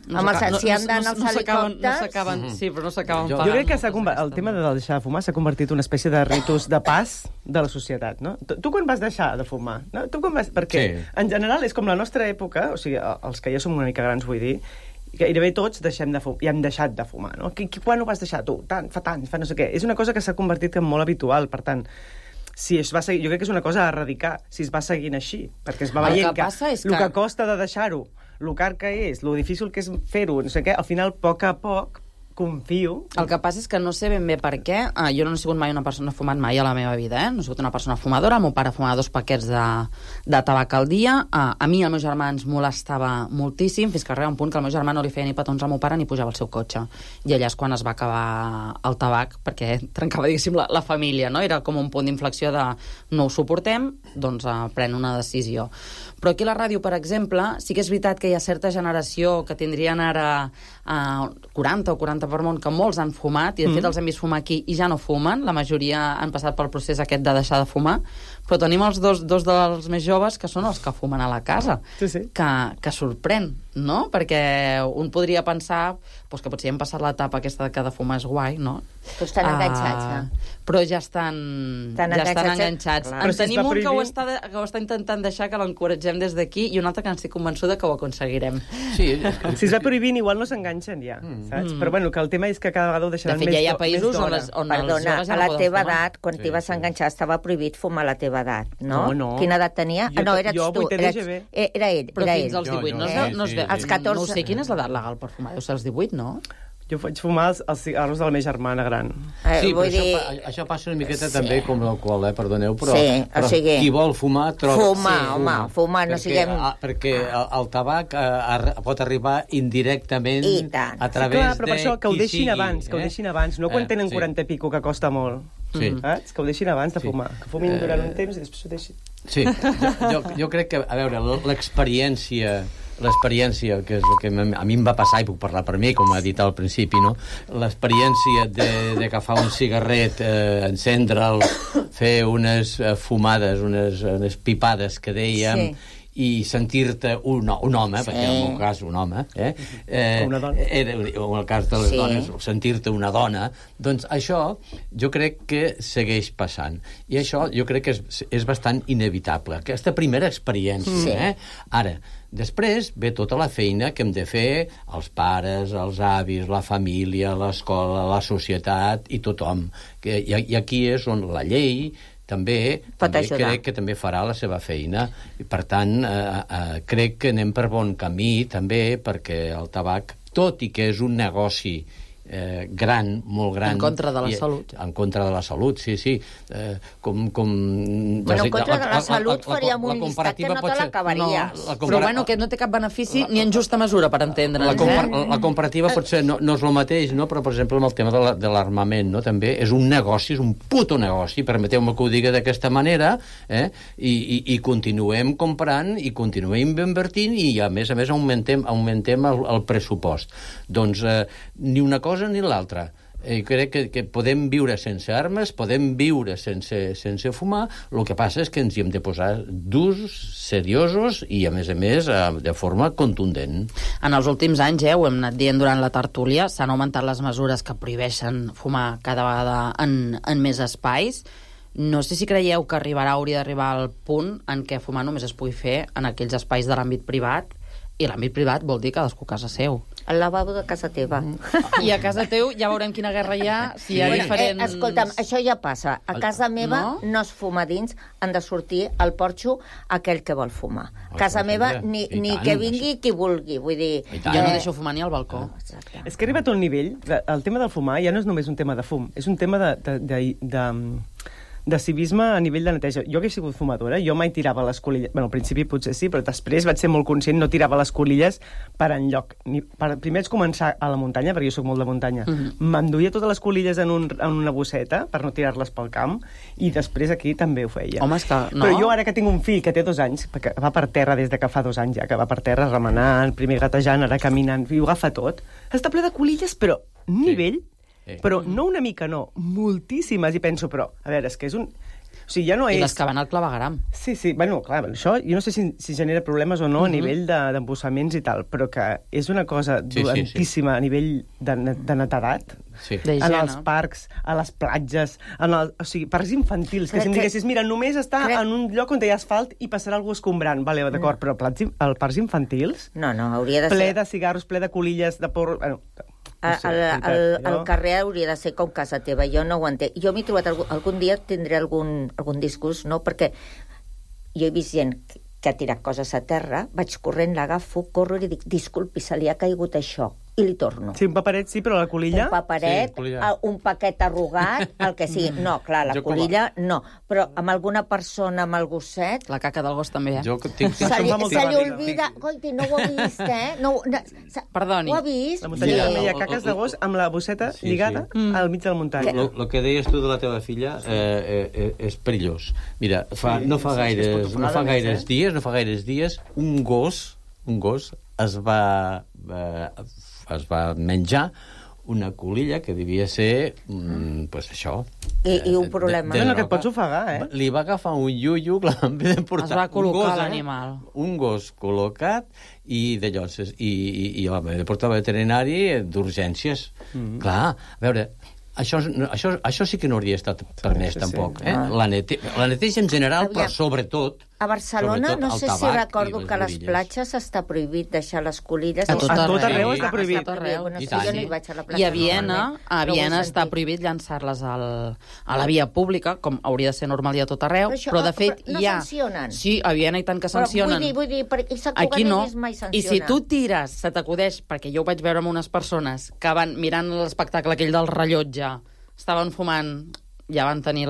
[SPEAKER 6] si han d'anar als helicòpters...
[SPEAKER 2] No s'acaben, sí, però no s'acaben pagant.
[SPEAKER 7] Jo crec que el tema de deixar de fumar s'ha convertit en una espècie de ritus de pas de la societat, no? Tu quan vas deixar de fumar? No? Perquè, en general, és com la nostra època, o sigui, els que ja som una mica grans, vull dir, gairebé tots hem deixat de fumar, no? Quan ho vas deixar tu? Fa no sé què. És una cosa que s'ha convertit en molt habitual, per tant... Si es va seguir, jo crec que és una cosa a erradicar, si es va seguint així, perquè es va veient que el que costa de deixar-ho, el car que és, el difícil que és fer-ho, no sé què, al final, a poc, confio...
[SPEAKER 2] El que passa és que no sé ben bé per què. Jo no he sigut mai una persona fumat mai a la meva vida, No he sigut una persona fumadora. El meu pare fumava 2 paquets de tabac al dia. A mi el meu germà ens molestava moltíssim, fins que arriba un punt que el meu germà no li feia ni petons al meu pare ni pujava al seu cotxe. I allà és quan es va acabar el tabac, perquè trencava, diguéssim, la família, no? Era com un punt d'inflexió de no ho suportem, doncs pren una decisió. Però aquí a la ràdio, per exemple, sí que és veritat que hi ha certa generació que tindrien ara 40 o 40 per món, que molts han fumat, i de fet els hem vist fumar aquí i ja no fumen, la majoria han passat pel procés aquest de deixar de fumar, però tenim els dos dels més joves que són els que fumen a la casa, que sorprèn, no? Perquè un podria pensar que potser hem passat l'etapa aquesta que de fumar és guai, no?
[SPEAKER 6] Però estan enganxats,
[SPEAKER 2] però ja estan enganxats. En tenim un que ho està intentant deixar, que l'encoratgem des d'aquí, i un altre que estic convençuda que ho aconseguirem.
[SPEAKER 7] Si es va prohibint, igual no s'enganxen ja, saps? Però bueno, que el tema és que cada vegada ho deixaran més d'hora.
[SPEAKER 2] De fet, ja hi ha països on els joves ja
[SPEAKER 6] a la teva edat, quan t'hi vas enganxar, estava prohibit fumar a la teva edat, no? Quina edat tenia? No, eres tu. Era ell.
[SPEAKER 2] Però fins als 18 no es veu.
[SPEAKER 6] Als 14...
[SPEAKER 2] No sé quina és l'edat legal per fumar. Deu ser als 18, no?
[SPEAKER 7] Jo vaig fumar els cigarros de la meva germana gran.
[SPEAKER 8] Sí,
[SPEAKER 6] vull
[SPEAKER 8] però
[SPEAKER 6] dir...
[SPEAKER 8] això passa una miqueta també com l'alcohol, perdoneu, però,
[SPEAKER 6] Sí, o
[SPEAKER 8] però
[SPEAKER 6] sigui,
[SPEAKER 8] qui vol fumar...
[SPEAKER 6] Fumar, no siguem...
[SPEAKER 8] Perquè el tabac pot arribar indirectament
[SPEAKER 6] I tant.
[SPEAKER 8] a través
[SPEAKER 7] Clar, però per això que ho
[SPEAKER 8] qui
[SPEAKER 7] deixin
[SPEAKER 8] sigui,
[SPEAKER 7] abans, que ho deixin abans, no quan tenen 40 i pico, que costa molt.
[SPEAKER 8] Sí.
[SPEAKER 7] Saps? Que ho deixin abans de fumar. Que fumin durant un temps i després ho deixin.
[SPEAKER 8] Sí, jo crec que, a veure, l'experiència, que és el que a mi em va passar, i puc parlar per mi, com ha dit al principi, no? L'experiència d'agafar un cigarret, encendre'l, fer unes fumades, unes pipades que dèiem, i sentir-te un home, perquè en el meu cas un home,
[SPEAKER 7] una dona.
[SPEAKER 8] O en el cas de les dones, sentir-te una dona, doncs això jo crec que segueix passant. I això jo crec que és bastant inevitable, aquesta primera experiència. Ara, després ve tota la feina que hem de fer els pares, els avis, la família, l'escola, la societat i tothom. I aquí és on la llei també crec que també farà la seva feina. I, per tant, crec que anem per bon camí, també, perquè el tabac, tot i que és un negoci gran, molt gran...
[SPEAKER 5] En contra de la salut.
[SPEAKER 8] En contra de la salut, sí.
[SPEAKER 6] Bueno, en contra de la salut faríem un llistat que no te l'acabaries.
[SPEAKER 5] Però bueno, que no té cap benefici ni en justa mesura, per entendre'ns.
[SPEAKER 8] La comparativa potser no és el mateix, no? Però, per exemple, amb el tema de l'armament, no? També és un negoci, és un puto negoci, permeteu-me que ho digui d'aquesta manera, i continuem comprant i continuem invertint i, a més, augmentem el pressupost. Doncs ni una cosa ni l'altra. Crec que podem viure sense armes, podem viure sense fumar, el que passa és que ens hi hem de posar durs, seriosos i, a més, de forma contundent.
[SPEAKER 5] En els últims anys, ho hem anat dient durant la tertúlia, s'han augmentat les mesures que prohibeixen fumar cada vegada en més espais. No sé si creieu que hauria d'arribar al punt en què fumar només es pugui fer en aquells espais de l'àmbit privat, i l'àmbit privat vol dir cadascú a casa seu.
[SPEAKER 6] El lavabo de casa teva.
[SPEAKER 5] I a casa teu ja veurem quina guerra hi ha, si hi ha diferents...
[SPEAKER 6] Escolta'm, això ja passa. A casa meva no es fuma dins, han de sortir al porxo aquell que vol fumar. A casa meva ni que vingui qui vulgui, vull dir...
[SPEAKER 5] Jo no deixo fumar ni al balcó.
[SPEAKER 7] És que ha arribat a un nivell, el tema del fumar ja no és només un tema de fum, és un tema de civisme a nivell de neteja. Jo que he sigut fumadora, jo mai tirava les colilles... Bueno, al principi potser sí, però després vaig ser molt conscient, no tirava les colilles per enlloc. Primer és començar a la muntanya, perquè jo soc molt de muntanya. M'enduia totes les colilles en una bosseta per no tirar-les pel camp, i després aquí també ho feia.
[SPEAKER 5] Home, és que no.
[SPEAKER 7] Però jo ara que tinc un fill que té 2 anys, perquè va per terra des de que fa 2 anys ja, que va per terra remenant, primer gatejant, ara caminant, i ho agafa tot, està ple de colilles, però nivell... Però no una mica, no, moltíssimes, i penso, però, a veure, és que és un... O sigui, ja no és...
[SPEAKER 5] I les que van al clavegueram.
[SPEAKER 7] Sí, bueno, clar, això jo no sé si genera problemes o no a nivell d'embossaments i tal, però que és una cosa dolentíssima a nivell de netedat, en els parcs, a les platges, o sigui, parcs infantils, que si em diguessis, mira, només està en un lloc on hi ha asfalt i passarà algú escombrant, vale, d'acord, però parcs infantils...
[SPEAKER 6] No, hauria de ser...
[SPEAKER 7] Ple de cigarros, ple de colilles, de porro... Bueno,
[SPEAKER 6] el carrer hauria de ser com casa teva, jo no ho entenc. Jo m'he trobat algun dia, tindré algun disgust, no? Perquè jo he vist gent que ha tirat coses a terra, vaig corrent, l'agafo, corro i dic, disculpi, se li ha caigut això, i li torno.
[SPEAKER 7] Sí, un paperet sí, però la colilla...
[SPEAKER 6] Un paperet, un paquet arrugat, el que sigui. No, clar, la colilla no, però amb alguna persona, amb el gosset...
[SPEAKER 5] La caca del gos també,
[SPEAKER 6] Se li olvida... Coiti, no ho ha vist,
[SPEAKER 5] Perdoni.
[SPEAKER 6] Ho ha vist?
[SPEAKER 7] La muntanya també hi ha caques de gos amb la bosseta lligada al mig de la muntanya.
[SPEAKER 8] El que deies tu de la teva filla és perillós. Mira, no fa gaires dies, un gos es va menjar una colilla que devia ser, pues això...
[SPEAKER 6] I un problema.
[SPEAKER 7] No, que et pots ofegar,
[SPEAKER 8] Li va agafar un iuiu,
[SPEAKER 5] es va col·locar l'animal.
[SPEAKER 8] Un gos col·locat, i de lloses, i de portar al veterinari d'urgències. Clar, a veure... Això sí que no hauria estat permès, tampoc. La neteja en general, però sobretot
[SPEAKER 6] A Barcelona,
[SPEAKER 8] Sobretot
[SPEAKER 6] no
[SPEAKER 8] el
[SPEAKER 6] sé si
[SPEAKER 8] tabac i
[SPEAKER 6] recordo
[SPEAKER 8] les
[SPEAKER 6] que a les
[SPEAKER 8] borilles.
[SPEAKER 6] platges està prohibit deixar les colilles.
[SPEAKER 2] A tot
[SPEAKER 7] arreu
[SPEAKER 8] Sí.
[SPEAKER 7] està prohibit.
[SPEAKER 2] A tot arreu.
[SPEAKER 6] Bueno,
[SPEAKER 8] I
[SPEAKER 6] sí,
[SPEAKER 8] tant,
[SPEAKER 6] jo no
[SPEAKER 8] sí.
[SPEAKER 6] hi vaig a la platja.
[SPEAKER 2] I a Viena,
[SPEAKER 6] normalment.
[SPEAKER 2] està prohibit llançar-les a la via pública, com hauria de ser normal i a tot arreu, però de fet
[SPEAKER 6] no
[SPEAKER 2] hi ha...
[SPEAKER 6] sancionen.
[SPEAKER 2] Sí, a Viena i tant que sancionen.
[SPEAKER 6] Vull dir, perquè Sant Cugat
[SPEAKER 2] Aquí no.
[SPEAKER 6] he vist mai sanciona.
[SPEAKER 2] I si tu tires, se t'acudeix, perquè jo ho vaig veure amb unes persones que van mirant l'espectacle aquell del rellotge, estaven fumant, ja van tenir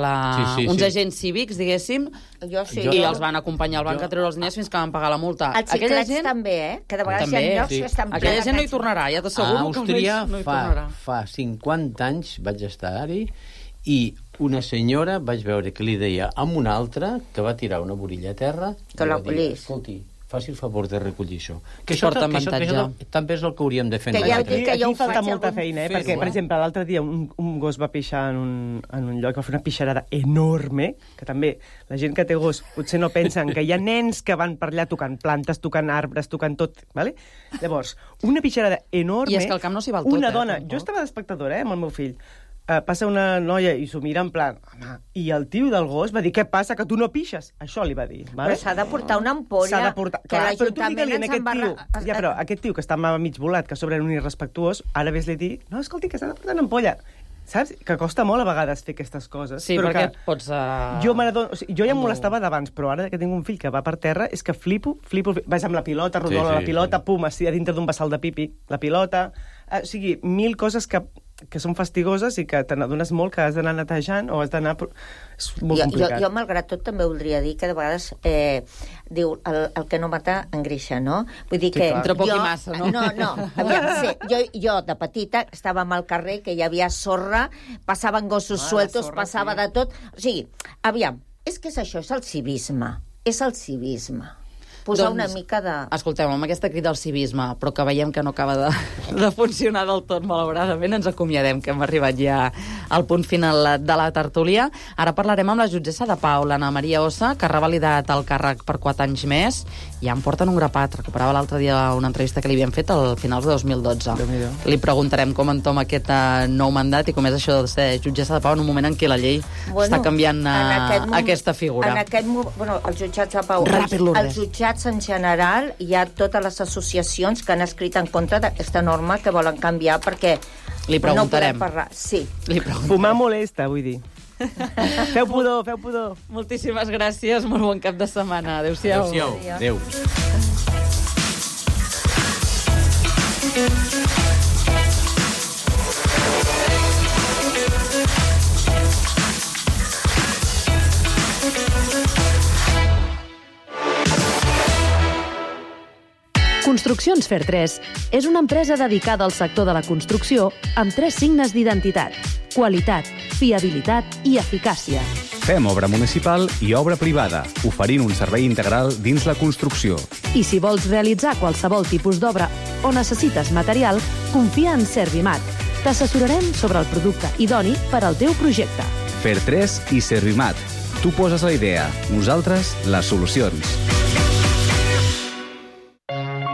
[SPEAKER 2] uns agents cívics, diguéssim,
[SPEAKER 6] Jo sí.
[SPEAKER 2] i els van acompanyar al banc a treure els diners fins que van pagar la multa.
[SPEAKER 6] Els xiclets també, Que de vegades hi ha llocs que estan plens.
[SPEAKER 2] Aquella gent no hi tornarà, ja t'asseguro
[SPEAKER 8] A
[SPEAKER 2] que
[SPEAKER 8] Àustria
[SPEAKER 2] no hi tornarà.
[SPEAKER 8] fa 50 anys vaig estar-hi i una senyora vaig veure que li deia a una altra que va tirar una borilla a terra
[SPEAKER 6] Que
[SPEAKER 8] i
[SPEAKER 6] la
[SPEAKER 8] va dir,
[SPEAKER 6] collís.
[SPEAKER 8] escolti, faci el favor de recollir això.
[SPEAKER 2] Que porta avantatge.
[SPEAKER 8] També és el que hauríem de fer
[SPEAKER 6] Que ja ho dic, que
[SPEAKER 7] Aquí
[SPEAKER 6] jo ho
[SPEAKER 7] falta
[SPEAKER 6] faig
[SPEAKER 7] molta
[SPEAKER 6] algun-
[SPEAKER 7] feina,
[SPEAKER 8] fer-ho,
[SPEAKER 7] perquè, per exemple, l'altre dia un gos va pixar en un lloc, va fer una pixarada enorme, que també la gent que té gos potser no pensen que hi ha nens que van per allà tocant plantes, tocant arbres, tocant tot, ¿vale? Llavors, una pixarada enorme...
[SPEAKER 2] I és que al camp no s'hi val tot,
[SPEAKER 7] Una dona,
[SPEAKER 2] tampoc.
[SPEAKER 7] jo estava d'espectadora, amb el meu fill, passa una noia i s'ho mira en plan... Home, i el tio del gos va dir, què passa, que tu no pixes? Això li va dir.
[SPEAKER 6] Però s'ha de portar una ampolla.
[SPEAKER 7] S'ha de portar...
[SPEAKER 6] Que
[SPEAKER 7] Clar, però tu
[SPEAKER 6] l'Ajuntament
[SPEAKER 7] digue-li a
[SPEAKER 6] ens
[SPEAKER 7] aquest tio...
[SPEAKER 6] embarra...
[SPEAKER 7] Ja, però aquest tio que està mig volat, que a sobre era un irrespectuós, ara ves-li a dir, no, escolti, que s'ha de portar una ampolla. Saps? Que costa molt a vegades fer aquestes coses.
[SPEAKER 2] Sí,
[SPEAKER 7] però
[SPEAKER 2] perquè
[SPEAKER 7] que
[SPEAKER 2] pots...
[SPEAKER 7] jo ja em molestava d'abans, però ara que tinc un fill que va per terra, és que flipo. Vaig amb la pilota, rodola la pilota, pum, a dintre d'un vessal de pipi, la pilota... O sigui, 1000 coses que són fastigoses i que te n'adones molt que has d'anar netejant o has d'anar... És molt complicat.
[SPEAKER 6] Jo, malgrat tot, també voldria dir que de vegades diu el que no mata engreixa, no? Vull dir que...
[SPEAKER 2] Entre poc i massa, no?
[SPEAKER 6] No. Aviam, jo de petita estàvem al carrer, que hi havia sorra, passaven gossos sueltos, passava de tot... O sigui, aviam, és que és això, és el civisme. És el civisme. Posar una mica de...
[SPEAKER 2] Escolteu, amb aquesta crida al civisme, però que veiem que no acaba de funcionar del tot, malauradament, ens acomiadem, que hem arribat ja al punt final de la tertúlia. Ara parlarem amb la jutgessa de pau, l'Anna Maria Ossa, que ha revalidat el càrrec per 4 anys més. Ja en porten un grapat. Recuperava l'altre dia una entrevista que li havien fet al finals de 2012. Li preguntarem com entoma aquest nou mandat i com és això de ser jutgessa de pau en un moment en què la llei està canviant aquesta figura.
[SPEAKER 6] En aquest moment, els jutjats de pau... Els jutjats en general, hi ha totes les associacions que han escrit en contra d'aquesta norma que volen canviar perquè
[SPEAKER 2] li preguntarem.
[SPEAKER 6] No podem parlar. Sí.
[SPEAKER 7] Fumar molesta, vull dir. Feu pudor.
[SPEAKER 2] Moltíssimes gràcies, molt bon cap de setmana. Adéu-siau.
[SPEAKER 8] Adéu.
[SPEAKER 9] Construccions Fer 3 és una empresa dedicada al sector de la construcció amb 3 signes d'identitat: qualitat, fiabilitat i eficàcia.
[SPEAKER 4] Fem obra municipal i obra privada, oferint un servei integral dins la construcció.
[SPEAKER 9] I si vols realitzar qualsevol tipus d'obra o necessites material, confia en Servimat. T'assessorarem sobre el producte idoni per al teu projecte.
[SPEAKER 4] Fer 3 i Servimat. Tu poses la idea, nosaltres les solucions.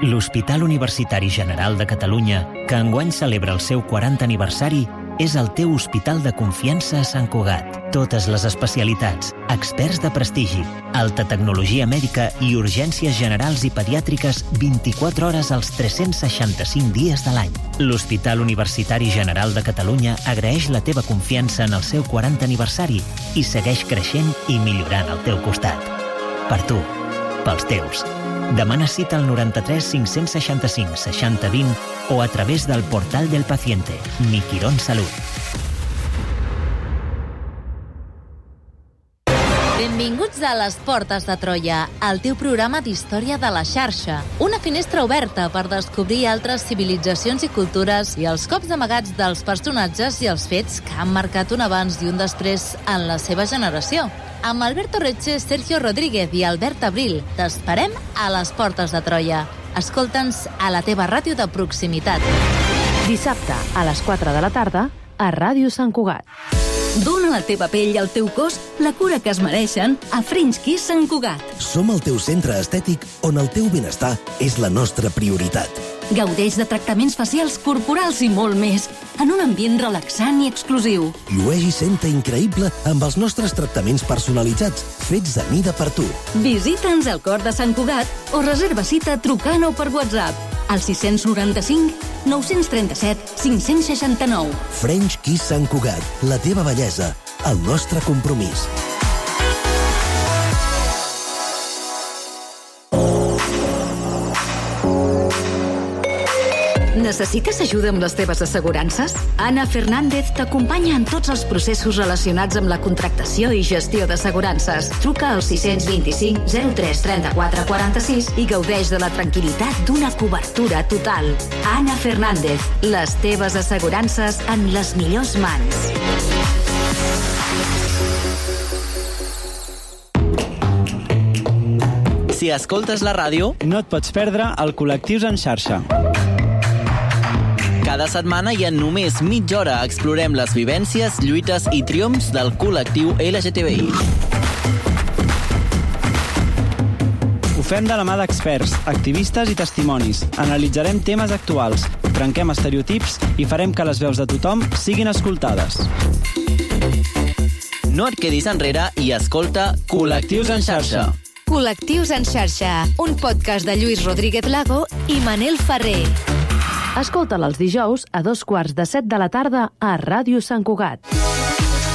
[SPEAKER 3] L'Hospital Universitari General de Catalunya, que enguany celebra el seu 40 aniversari, és el teu hospital de confiança a Sant Cugat. Totes les especialitats, experts de prestigi, alta tecnologia mèdica i urgències generals i pediàtriques 24 hores als 365 dies de l'any. L'Hospital Universitari General de Catalunya agraeix la teva confiança en el seu 40 aniversari i segueix creixent i millorant al teu costat. Per tu, pels teus. Demana cita al 93 565 60 20 o a través del portal del paciente. Mi Quirón Salud.
[SPEAKER 10] Benvinguts a Les Portes de Troia, el teu programa d'història de la xarxa. Una finestra oberta per descobrir altres civilitzacions i cultures i els cops amagats dels personatges i els fets que han marcat un abans i un després en la seva generació. Amb Alberto Retxe, Sergio Rodríguez i Albert Abril, t'esperem a Les Portes de Troia. Escolta'ns a la teva ràdio de proximitat.
[SPEAKER 9] Dissabte, a les 4 de la tarda, a Ràdio Sant Cugat.
[SPEAKER 10] Dóna a la teva pell i al teu cos la cura que es mereixen a French Kiss Sant Cugat.
[SPEAKER 11] Som el teu centre estètic on el teu benestar és la nostra prioritat. Gaudeix de tractaments facials, corporals i molt més, en un ambient relaxant i exclusiu.
[SPEAKER 12] Llueix i senta increïble amb els nostres tractaments personalitzats, fets a mida per tu.
[SPEAKER 11] Visita'ns al Cor de Sant Cugat o reserva cita trucant o per WhatsApp al 695 937 569.
[SPEAKER 12] French Kiss Sant Cugat, la teva bellesa, el nostre compromís.
[SPEAKER 9] Necessites ajuda amb les teves assegurances? Anna Fernández t'acompanya en tots els processos relacionats amb la contractació i gestió d'assegurances. Truca al 625 03 34 46 i gaudeix de la tranquil·litat d'una cobertura total. Anna Fernández, les teves assegurances en les millors mans.
[SPEAKER 13] Si escoltes la ràdio,
[SPEAKER 14] no et pots perdre el Col·lectius en xarxa.
[SPEAKER 13] Cada setmana i en només mitja hora explorem les vivències, lluites i triomfs del col·lectiu LGTBI.
[SPEAKER 14] Ho fem de la mà d'experts, activistes i testimonis. Analitzarem temes actuals, trenquem estereotips i farem que les veus de tothom siguin escoltades.
[SPEAKER 13] No et quedis enrere i escolta Col·lectius en xarxa.
[SPEAKER 10] Col·lectius en xarxa, un podcast de Lluís Rodríguez Lago i Manel Ferrer.
[SPEAKER 9] Escolta'l els dijous a 2:15 de la tarda a Ràdio Sant Cugat.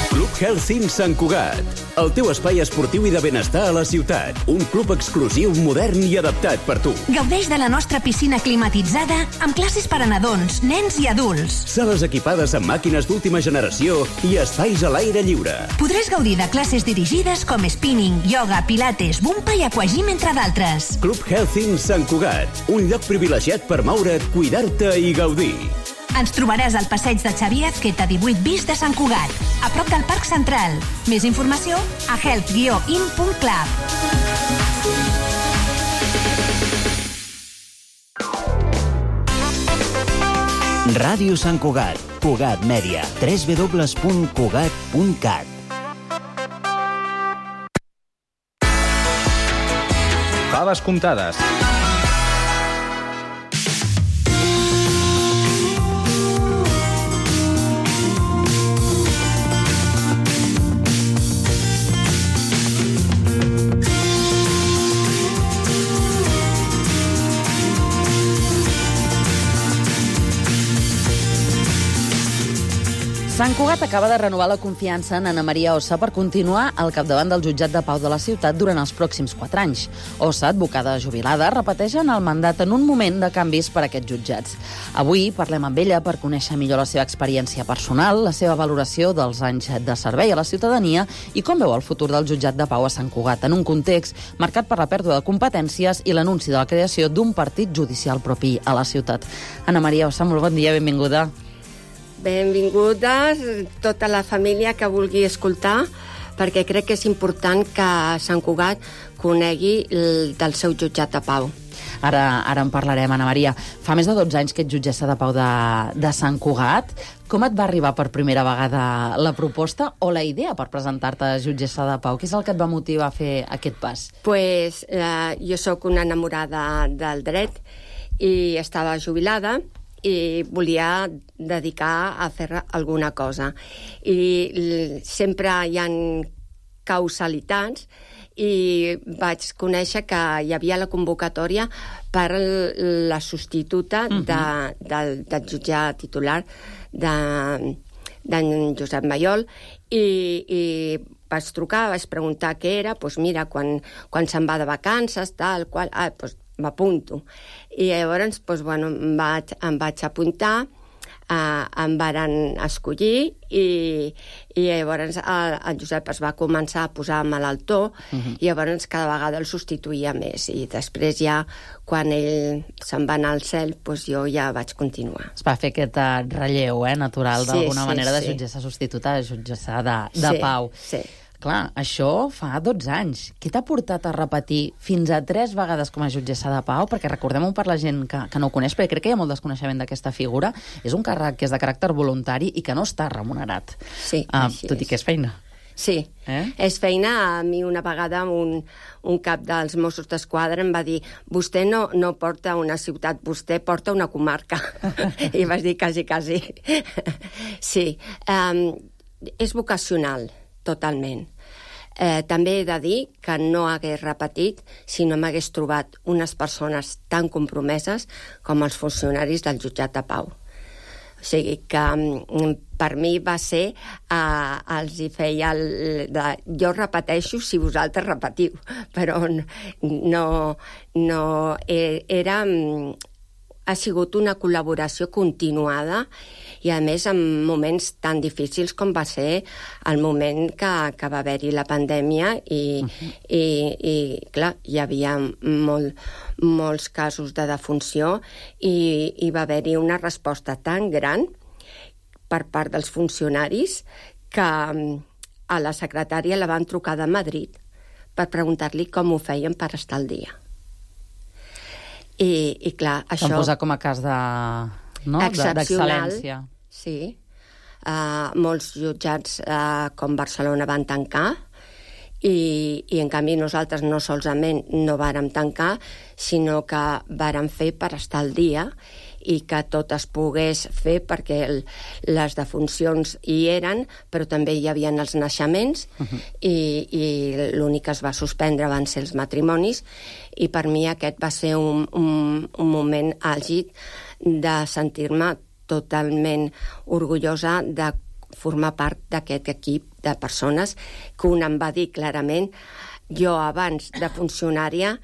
[SPEAKER 1] Club Health Sant Cugat, el teu espai esportiu i de benestar a la ciutat. Un club exclusiu, modern i adaptat per tu.
[SPEAKER 15] Gaudeix de la nostra piscina climatitzada amb classes per a nadons, nens i adults.
[SPEAKER 1] Sales equipades amb màquines d'última generació i espais a l'aire lliure.
[SPEAKER 15] Podràs gaudir de classes dirigides com spinning, yoga, pilates, bumpa i aquagym, entre d'altres.
[SPEAKER 1] Club Health Sant Cugat, un lloc privilegiat per moure't, cuidar-te i gaudir.
[SPEAKER 15] Ens trobaràs al passeig de Xavier Azqueta 18 bis de Sant Cugat, a prop del Parc Central. Més informació a health-in.club.
[SPEAKER 3] Ràdio Sant Cugat, Cugat Mèdia, www.cugat.cat.
[SPEAKER 4] Faves comptades.
[SPEAKER 5] Sant Cugat acaba de renovar la confiança en Ana Maria Ossa per continuar al capdavant del jutjat de pau de la ciutat durant els pròxims 4 anys. Ossa, advocada jubilada, repeteix en el mandat en un moment de canvis per a aquests jutjats. Avui parlem amb ella per conèixer millor la seva experiència personal, la seva valoració dels anys de servei a la ciutadania i com veu el futur del jutjat de pau a Sant Cugat en un context marcat per la pèrdua de competències i l'anunci de la creació d'un partit judicial propi a la ciutat. Ana Maria Ossa, molt bon dia, benvinguda.
[SPEAKER 16] Benvinguda tota la família que vulgui escoltar, perquè crec que és important que Sant Cugat conegui del seu jutjat de pau.
[SPEAKER 5] Ara en parlarem, Ana Maria. Fa més de 12 anys que ets jutgessa de pau de Sant Cugat. Com et va arribar per primera vegada la proposta o la idea per presentar-te a jutgessa de pau? Què és el que et va motivar a fer aquest pas?
[SPEAKER 16] Pues, jo sóc una enamorada del dret i estava jubilada i volia dedicar a fer alguna cosa. I sempre hi ha causalitats i vaig conèixer que hi havia la convocatòria per la substituta del jutjat titular d'en Josep Mayol i vaig trucar, vaig preguntar què era, doncs mira, quan se'n va de vacances, tal, qual, doncs m'apunto. I llavors, doncs, bueno, em vaig apuntar, em varen escollir i llavors el Josep es va començar a posar malaltó i llavors cada vegada el substituïa més i després ja, quan ell se'n va anar al cel, doncs jo ja vaig continuar.
[SPEAKER 5] Es va fer aquest relleu natural d'alguna manera de jutgessa substituta a jutgessa de pau.
[SPEAKER 16] Sí.
[SPEAKER 5] Clar, això fa 12 anys. Què t'ha portat a repetir fins a 3 vegades com a jutgessa de pau? Perquè recordem-ho per la gent que no ho coneix, perquè crec que hi ha molt desconeixement d'aquesta figura. És un càrrec que és de caràcter voluntari i que no està remunerat.
[SPEAKER 16] Sí,
[SPEAKER 5] tot i que és feina.
[SPEAKER 16] Sí. És feina. A mi una vegada un cap dels Mossos d'Esquadra em va dir vostè no porta una ciutat, vostè porta una comarca. I vas dir quasi. Sí. És vocacional, totalment. També he de dir que no hagués repetit si no m'hagués trobat unes persones tan compromeses com els funcionaris del jutjat de pau. O sigui que per mi va ser, els hi feia jo repeteixo si vosaltres repetiu, però ha sigut una col·laboració continuada i, a més, en moments tan difícils com va ser el moment que va haver-hi la pandèmia i clar, hi havia molts casos de defunció i va haver-hi una resposta tan gran per part dels funcionaris que a la secretària la van trucar de Madrid per preguntar-li com ho feien per estar al dia. I clar, això...
[SPEAKER 2] S'han posat com a cas d'excel·lència.
[SPEAKER 16] Sí. Molts jutjats com Barcelona van tancar i en canvi nosaltres no solament no vàrem tancar, sinó que vàrem fer per estar al dia i que tot es pogués fer perquè les defuncions hi eren, però també hi havia els naixements i l'únic que es va suspendre van ser els matrimonis i per mi aquest va ser un moment àlgid de sentir-me totalment orgullosa de formar part d'aquest equip de persones que un em va dir clarament jo abans de funcionària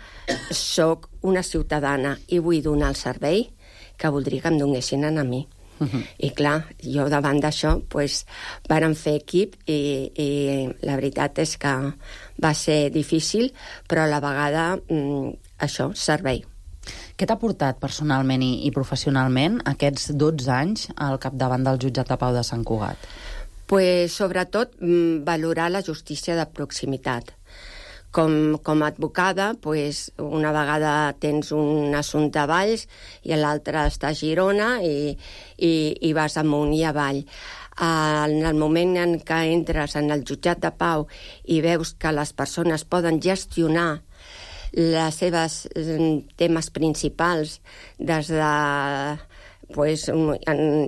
[SPEAKER 16] sóc una ciutadana i vull donar el servei que voldria que em donessin a mi. I clar, jo davant d'això vàrem fer equip i la veritat és que va ser difícil, però a la vegada això, servei.
[SPEAKER 2] Què t'ha portat personalment i professionalment aquests 12 anys al capdavant del jutjat de pau de Sant Cugat?
[SPEAKER 16] Sobretot valorar la justícia de proximitat. Com a advocada, una vegada tens un assumpte a Valls i l'altre està a Girona i vas amunt i avall. En el moment en què entres en el jutjat de pau i veus que les persones poden gestionar les seves temes principals, des de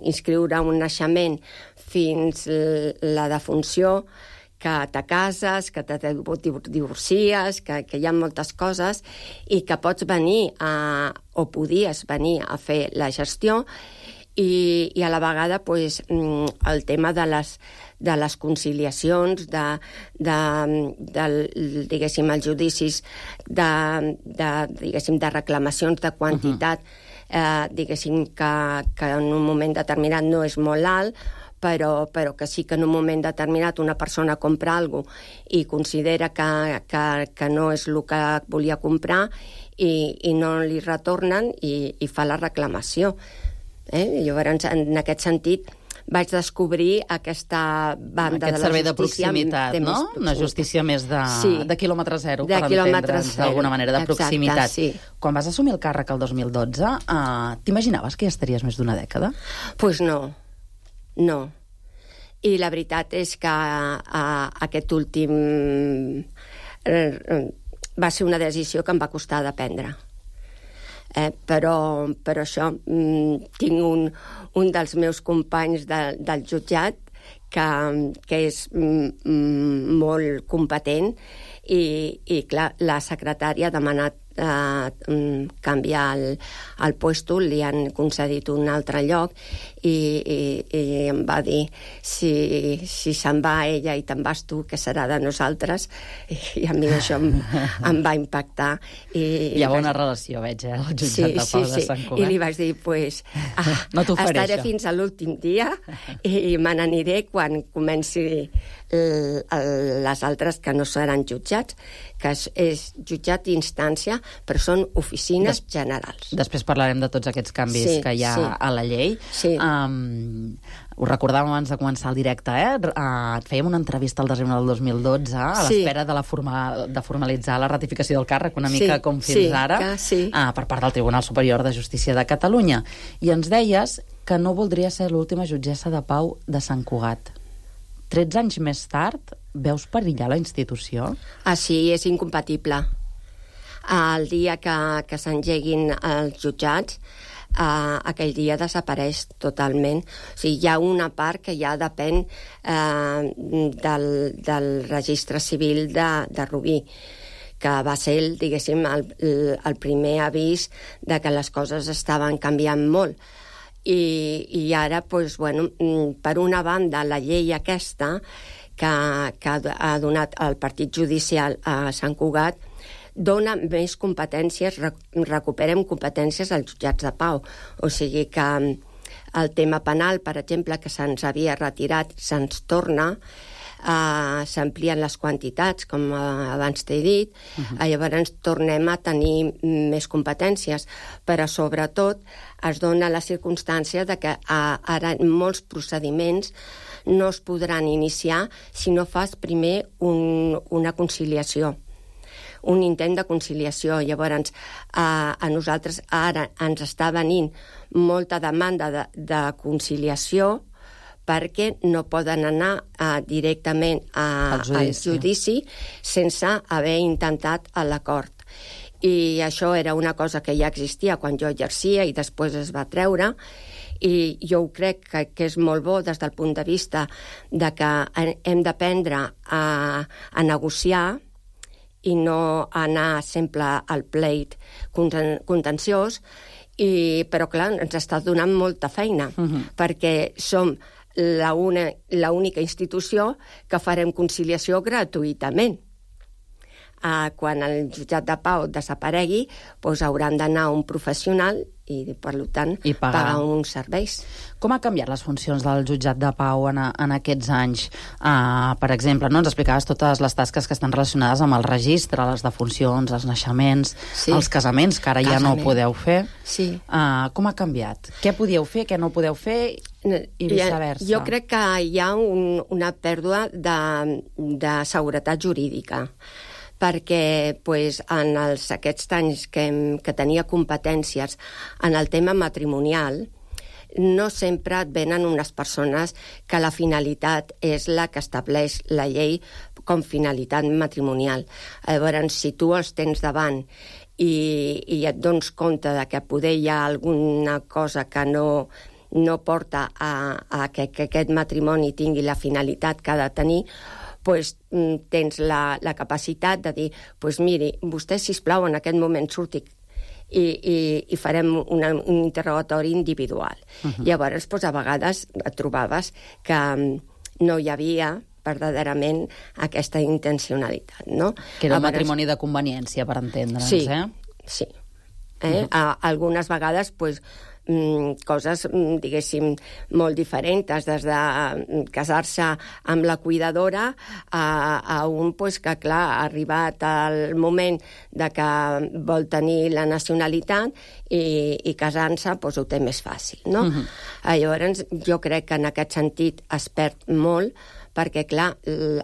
[SPEAKER 16] inscriure un naixement fins la defunció, que te cases, que te divorcies, que hi ha moltes coses i que pots venir o podies venir a fer la gestió i a la vegada el tema de les conciliacions, diguéssim, els judicis de reclamacions de quantitat, diguéssim, que en un moment determinat no és molt alt, però que sí que en un moment determinat una persona compra alguna cosa i considera que no és el que volia comprar i no li retornen i fa la reclamació. Llavors, en aquest sentit, vaig descobrir aquesta banda de la justícia... Aquest
[SPEAKER 2] servei de proximitat, no? Una justícia més de quilòmetre zero, per entendre'ns d'alguna manera, de proximitat. Quan vas assumir el càrrec el 2012, t'imaginaves que ja estaries més d'una dècada?
[SPEAKER 16] Doncs no. I la veritat és que aquest últim va ser una decisió que em va costar de prendre. Però això, tinc un dels meus companys del jutjat que és molt competent i clar, la secretària ha demanat canviar el puesto, li han concedit un altre lloc i em va dir si se'n va ella i te'n vas tu, què serà de nosaltres? I a mi això em va impactar.
[SPEAKER 2] Hi ha bona relació, veig, el jutjat de pau de Sant Cugat.
[SPEAKER 16] I li vaig dir, estaré fins a l'últim dia i me n'aniré quan comenci les altres que no seran jutjats, que és jutjat d'instància, però són oficines generals.
[SPEAKER 2] Després parlarem de tots aquests canvis que hi ha a la llei. Ho recordàvem abans de començar el directe, et fèiem una entrevista al desembre del 2012 a l'espera de formalitzar la ratificació del càrrec, una mica com fins ara, per part del Tribunal Superior de Justícia de Catalunya. I ens deies que no voldria ser l'última jutgessa de pau de Sant Cugat. 13 anys més tard,
[SPEAKER 5] veus perillar la institució?
[SPEAKER 16] Sí, és incompatible. El dia que s'engeguin els jutjats, aquell dia desapareix totalment. O sigui, hi ha una part que ja depèn del registre civil de Rubí, que va ser, diguéssim, el primer avís de que les coses estaven canviant molt. I ara, doncs, bueno, per una banda, la llei aquesta que ha donat el partit judicial a Sant Cugat dona més competències, recuperem competències als jutjats de pau. O sigui que el tema penal, per exemple, que se'ns havia retirat, se'ns torna, s'amplien les quantitats, com abans t'he dit, llavors tornem a tenir més competències, però sobretot es dona la circumstància de que ara molts procediments no es podran iniciar si no fas primer una conciliació, un intent de conciliació. Llavors, a nosaltres ara ens està venint molta demanda de conciliació perquè no poden anar directament al judici sense haver intentat l'acord. I això era una cosa que ja existia quan jo exercia i després es va treure, i jo crec que és molt bo des del punt de vista de que hem d'aprendre a negociar i no anar sempre al pleit contenciós, però clar, ens està donant molta feina, perquè som l'única institució que farem conciliació gratuïtament. Quan el jutjat de pau desaparegui, doncs hauran d'anar a un professional i, per tant, pagar uns serveis.
[SPEAKER 5] Com ha canviat les funcions del jutjat de pau en aquests anys? Per exemple, ens explicaves totes les tasques que estan relacionades amb el registre, les defuncions, els naixements, els casaments, que ara ja no podeu fer. Com ha canviat? Què podíeu fer, què no podeu fer i viceversa?
[SPEAKER 16] Jo crec que hi ha una pèrdua de seguretat jurídica, perquè en aquests anys que tenia competències en el tema matrimonial, no sempre et venen unes persones que la finalitat és la que estableix la llei com finalitat matrimonial. Llavors, si tu els tens davant i et dones compte de que poder hi ha alguna cosa que no porta a que aquest matrimoni tingui la finalitat que ha de tenir, doncs tens la capacitat de dir, doncs miri, vostè, sisplau, en aquest moment surti i farem un interrogatori individual. Llavors, a vegades et trobaves que no hi havia verdaderament aquesta intencionalitat, no?
[SPEAKER 5] Que era un matrimoni de conveniència, per entendre'ns,
[SPEAKER 16] Sí. Algunes vegades, doncs, coses, diguéssim, molt diferents, des de casar-se amb la cuidadora a un que, clar, ha arribat el moment de que vol tenir la nacionalitat i casant-se ho té més fàcil, no? Llavors, jo crec que en aquest sentit es perd molt, perquè, clar,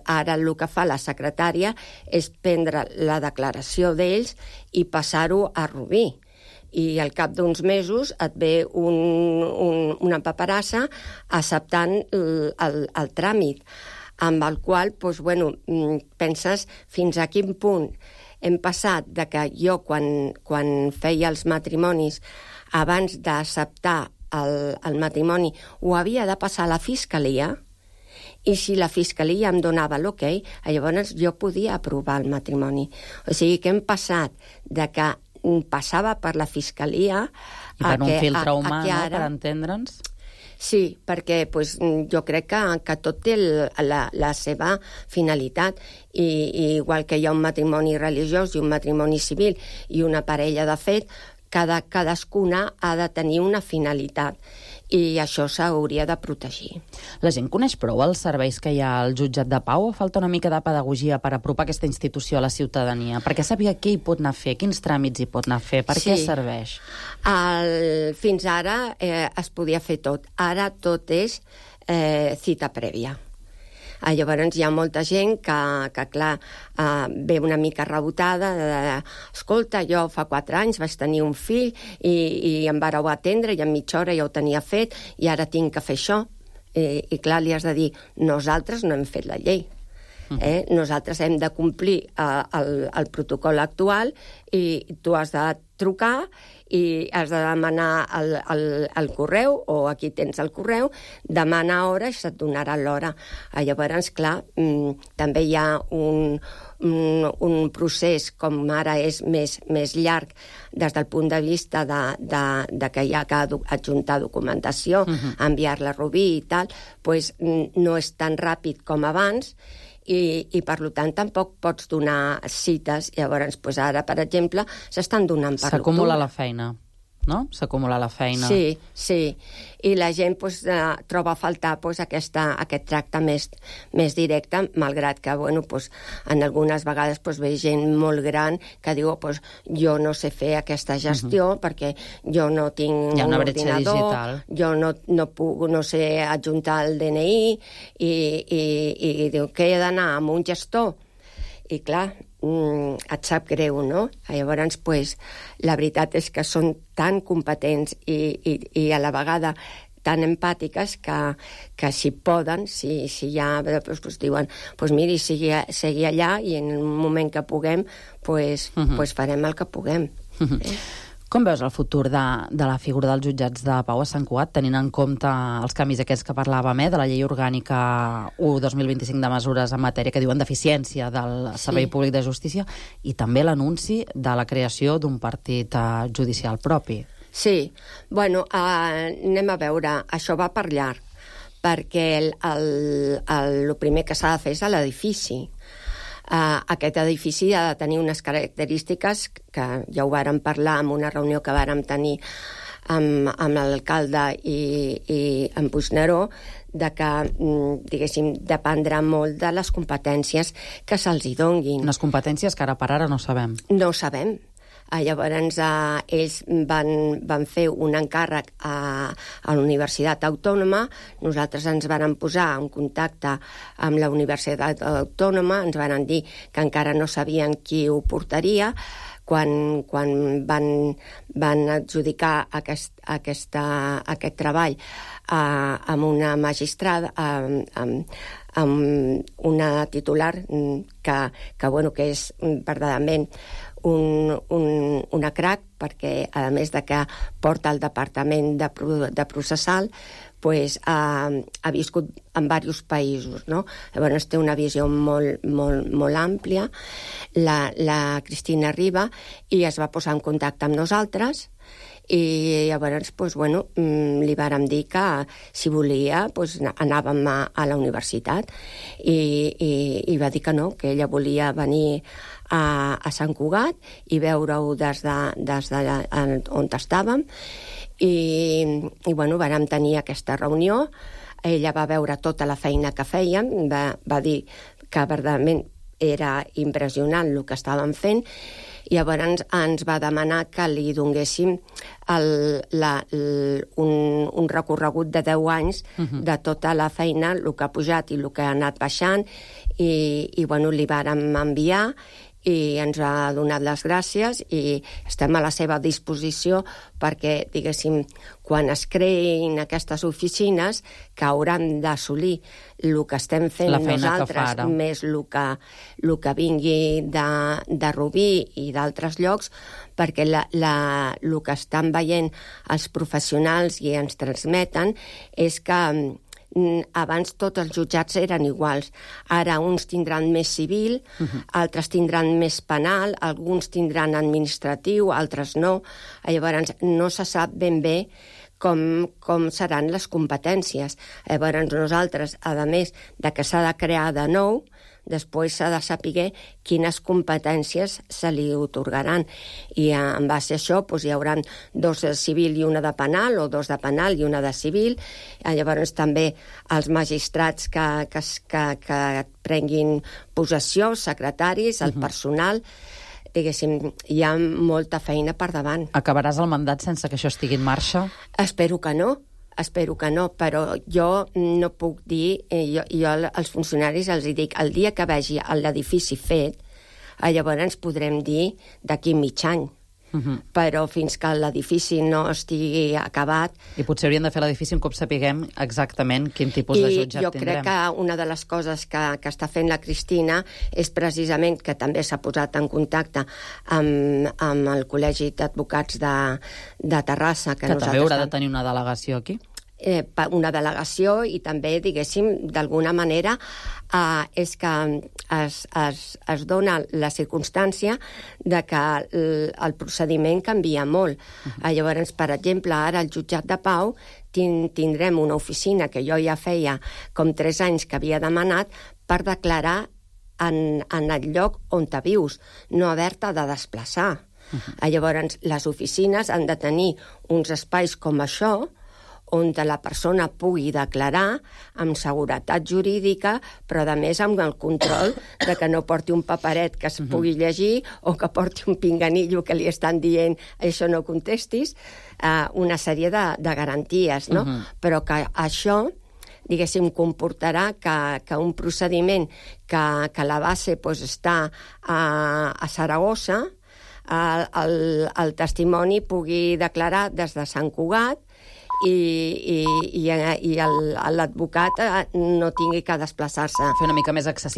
[SPEAKER 16] ara el que fa la secretària és prendre la declaració d'ells i passar-ho a Rubí. I al cap d'uns mesos et ve una paperassa acceptant el tràmit, amb el qual, penses fins a quin punt hem passat de que jo, quan feia els matrimonis, abans d'acceptar el matrimoni, ho havia de passar a la Fiscalia, i si la Fiscalia em donava l'ok, llavors jo podia aprovar el matrimoni. O sigui que hem passat de que passava per la Fiscalia...
[SPEAKER 5] I per un filtre humà, per entendre'ns?
[SPEAKER 16] Sí, perquè jo crec que tot té la seva finalitat. I igual que hi ha un matrimoni religiós i un matrimoni civil i una parella de fet, cadascuna ha de tenir una finalitat. I això s'hauria de protegir.
[SPEAKER 5] La gent coneix prou els serveis que hi ha al jutjat de pau o falta una mica de pedagogia per apropar aquesta institució a la ciutadania? Perquè sàpiga què hi pot anar a fer, quins tràmits hi pot anar a fer, per què serveix?
[SPEAKER 16] Fins ara es podia fer tot. Ara tot és cita prèvia. Llavors hi ha molta gent que clar, ve una mica rebotada escolta, jo fa 4 anys vaig tenir un fill i em vareu atendre i en mitja hora ja ho tenia fet i ara tinc que fer això. I clar, li has de dir, nosaltres no hem fet la llei. Nosaltres hem de complir el protocol actual i tu has de trucar i has de demanar el correu, o aquí tens el correu, demana hora i se't donarà l'hora. Llavors, clar, també hi ha un procés, com ara és més llarg des del punt de vista de que hi ha que adjuntar documentació, enviar-la a Rubí i tal, doncs no és tan ràpid com abans, i per tant tampoc pots donar cites. Llavors, ara, per exemple, s'estan donant per l'octubre.
[SPEAKER 2] S'acumula la feina, no? S'acumula la feina.
[SPEAKER 16] Sí. I la gent troba a faltar aquest tracte més directe, malgrat que, en algunes vegades ve gent molt gran que diu, jo no sé fer aquesta gestió perquè jo no tinc un ordinador, jo no sé adjuntar el DNI, i diu que he d'anar amb un gestor. I clar, et sap greu, no? Llavors, la veritat és que són tan competents i a la vegada tan empàtiques que si poden, si ja diuen, miri, sigui allà i en un moment que puguem, farem el que puguem.
[SPEAKER 2] Com veus el futur de la figura dels jutjats de pau a Sant Cugat, tenint en compte els canvis aquests que parlàvem, de la llei orgànica 1/2025 de mesures en matèria que diuen d'eficiència del Servei Públic de Justícia, i també l'anunci de la creació d'un partit judicial propi?
[SPEAKER 16] Sí, anem a veure, això va per llarg, perquè el primer que s'ha de fer és l'edifici. Aquest edifici ha de tenir unes característiques que ja ho vàrem parlar en una reunió que vàrem tenir amb l'alcalde i amb Puigneró, que, diguéssim, dependrà molt de les competències que se'ls hi donguin.
[SPEAKER 2] Unes competències que ara per ara no sabem.
[SPEAKER 16] No sabem. Llavors, ells van fer un encàrrec a la Universitat Autònoma, nosaltres ens vàrem posar en contacte amb la Universitat Autònoma, ens varen dir que encara no sabien qui ho portaria. Quan van adjudicar aquest treball amb una magistrada, amb una titular que és verdaderament una crac, perquè a més de que porta el departament de processal, ha viscut en diversos països, no? Llavors té una visió molt àmplia, la Cristina Riba, i es va posar en contacte amb nosaltres, i llavors li vàrem dir que si volia anàvem a la universitat, i va dir que no, que ella volia venir a Sant Cugat i veure-ho des on estàvem, i vàrem tenir aquesta reunió. Ella va veure tota la feina que fèiem, va dir que verdaderament era impressionant el que estàvem fent, i llavors ens va demanar que li donéssim un recorregut de 10 anys de tota la feina, el que ha pujat i el que ha anat baixant, i li vàrem enviar, i ens ha donat les gràcies, i estem a la seva disposició perquè, diguéssim, quan es creïn aquestes oficines, que hauran d'assolir el que estem fent nosaltres, més el que vingui de Rubí i d'altres llocs, perquè el que estan veient els professionals i ens transmeten és que abans tots els jutjats eren iguals. Ara uns tindran més civil, altres tindran més penal, alguns tindran administratiu, altres no. Llavors no se sap ben bé com seran les competències. Llavors nosaltres, a més de que s'ha de crear de nou, després s'ha de saber quines competències se li otorgaran, i en base a això hi haurà 2 de civil i una de penal, o 2 de penal i una de civil. Llavors també els magistrats que prenguin possessió, secretaris, el personal, diguéssim, hi ha molta feina per davant.
[SPEAKER 2] Acabaràs el mandat sense que això estigui en marxa?
[SPEAKER 16] Espero que no, però jo no puc dir, jo als funcionaris els dic, el dia que vegi l'edifici fet, llavors ens podrem dir d'aquí mig any. però fins que l'edifici no estigui acabat...
[SPEAKER 5] I potser hauríem de fer l'edifici un cop sapiguem exactament quin tipus de jutjat tindrem.
[SPEAKER 16] I jo crec que una de les coses que està fent la Cristina és precisament que també s'ha posat en contacte amb el Col·legi d'Advocats de Terrassa.
[SPEAKER 5] Que també haurà de tenir una delegació aquí.
[SPEAKER 16] Una delegació i també, diguéssim, d'alguna manera és que es dona la circumstància de que el procediment canvia molt. Llavors, per exemple, ara al jutjat de Pau tindrem una oficina que jo ja feia com 3 anys que havia demanat per declarar en el lloc on te vius, no haver-te de desplaçar. Llavors, les oficines han de tenir uns espais com això, on la persona pugui declarar amb seguretat jurídica, però a més amb el control de que no porti un paperet que es pugui llegir o que porti un pinganillo que li estan dient això no contestis, una sèrie de garanties, no? Però que això, diguéssim, comportarà que un procediment que la base està a Saragossa, el testimoni pugui declarar des de Sant Cugat i l'advocat no tingui que desplaçar-se.
[SPEAKER 5] Fer una mica més accessible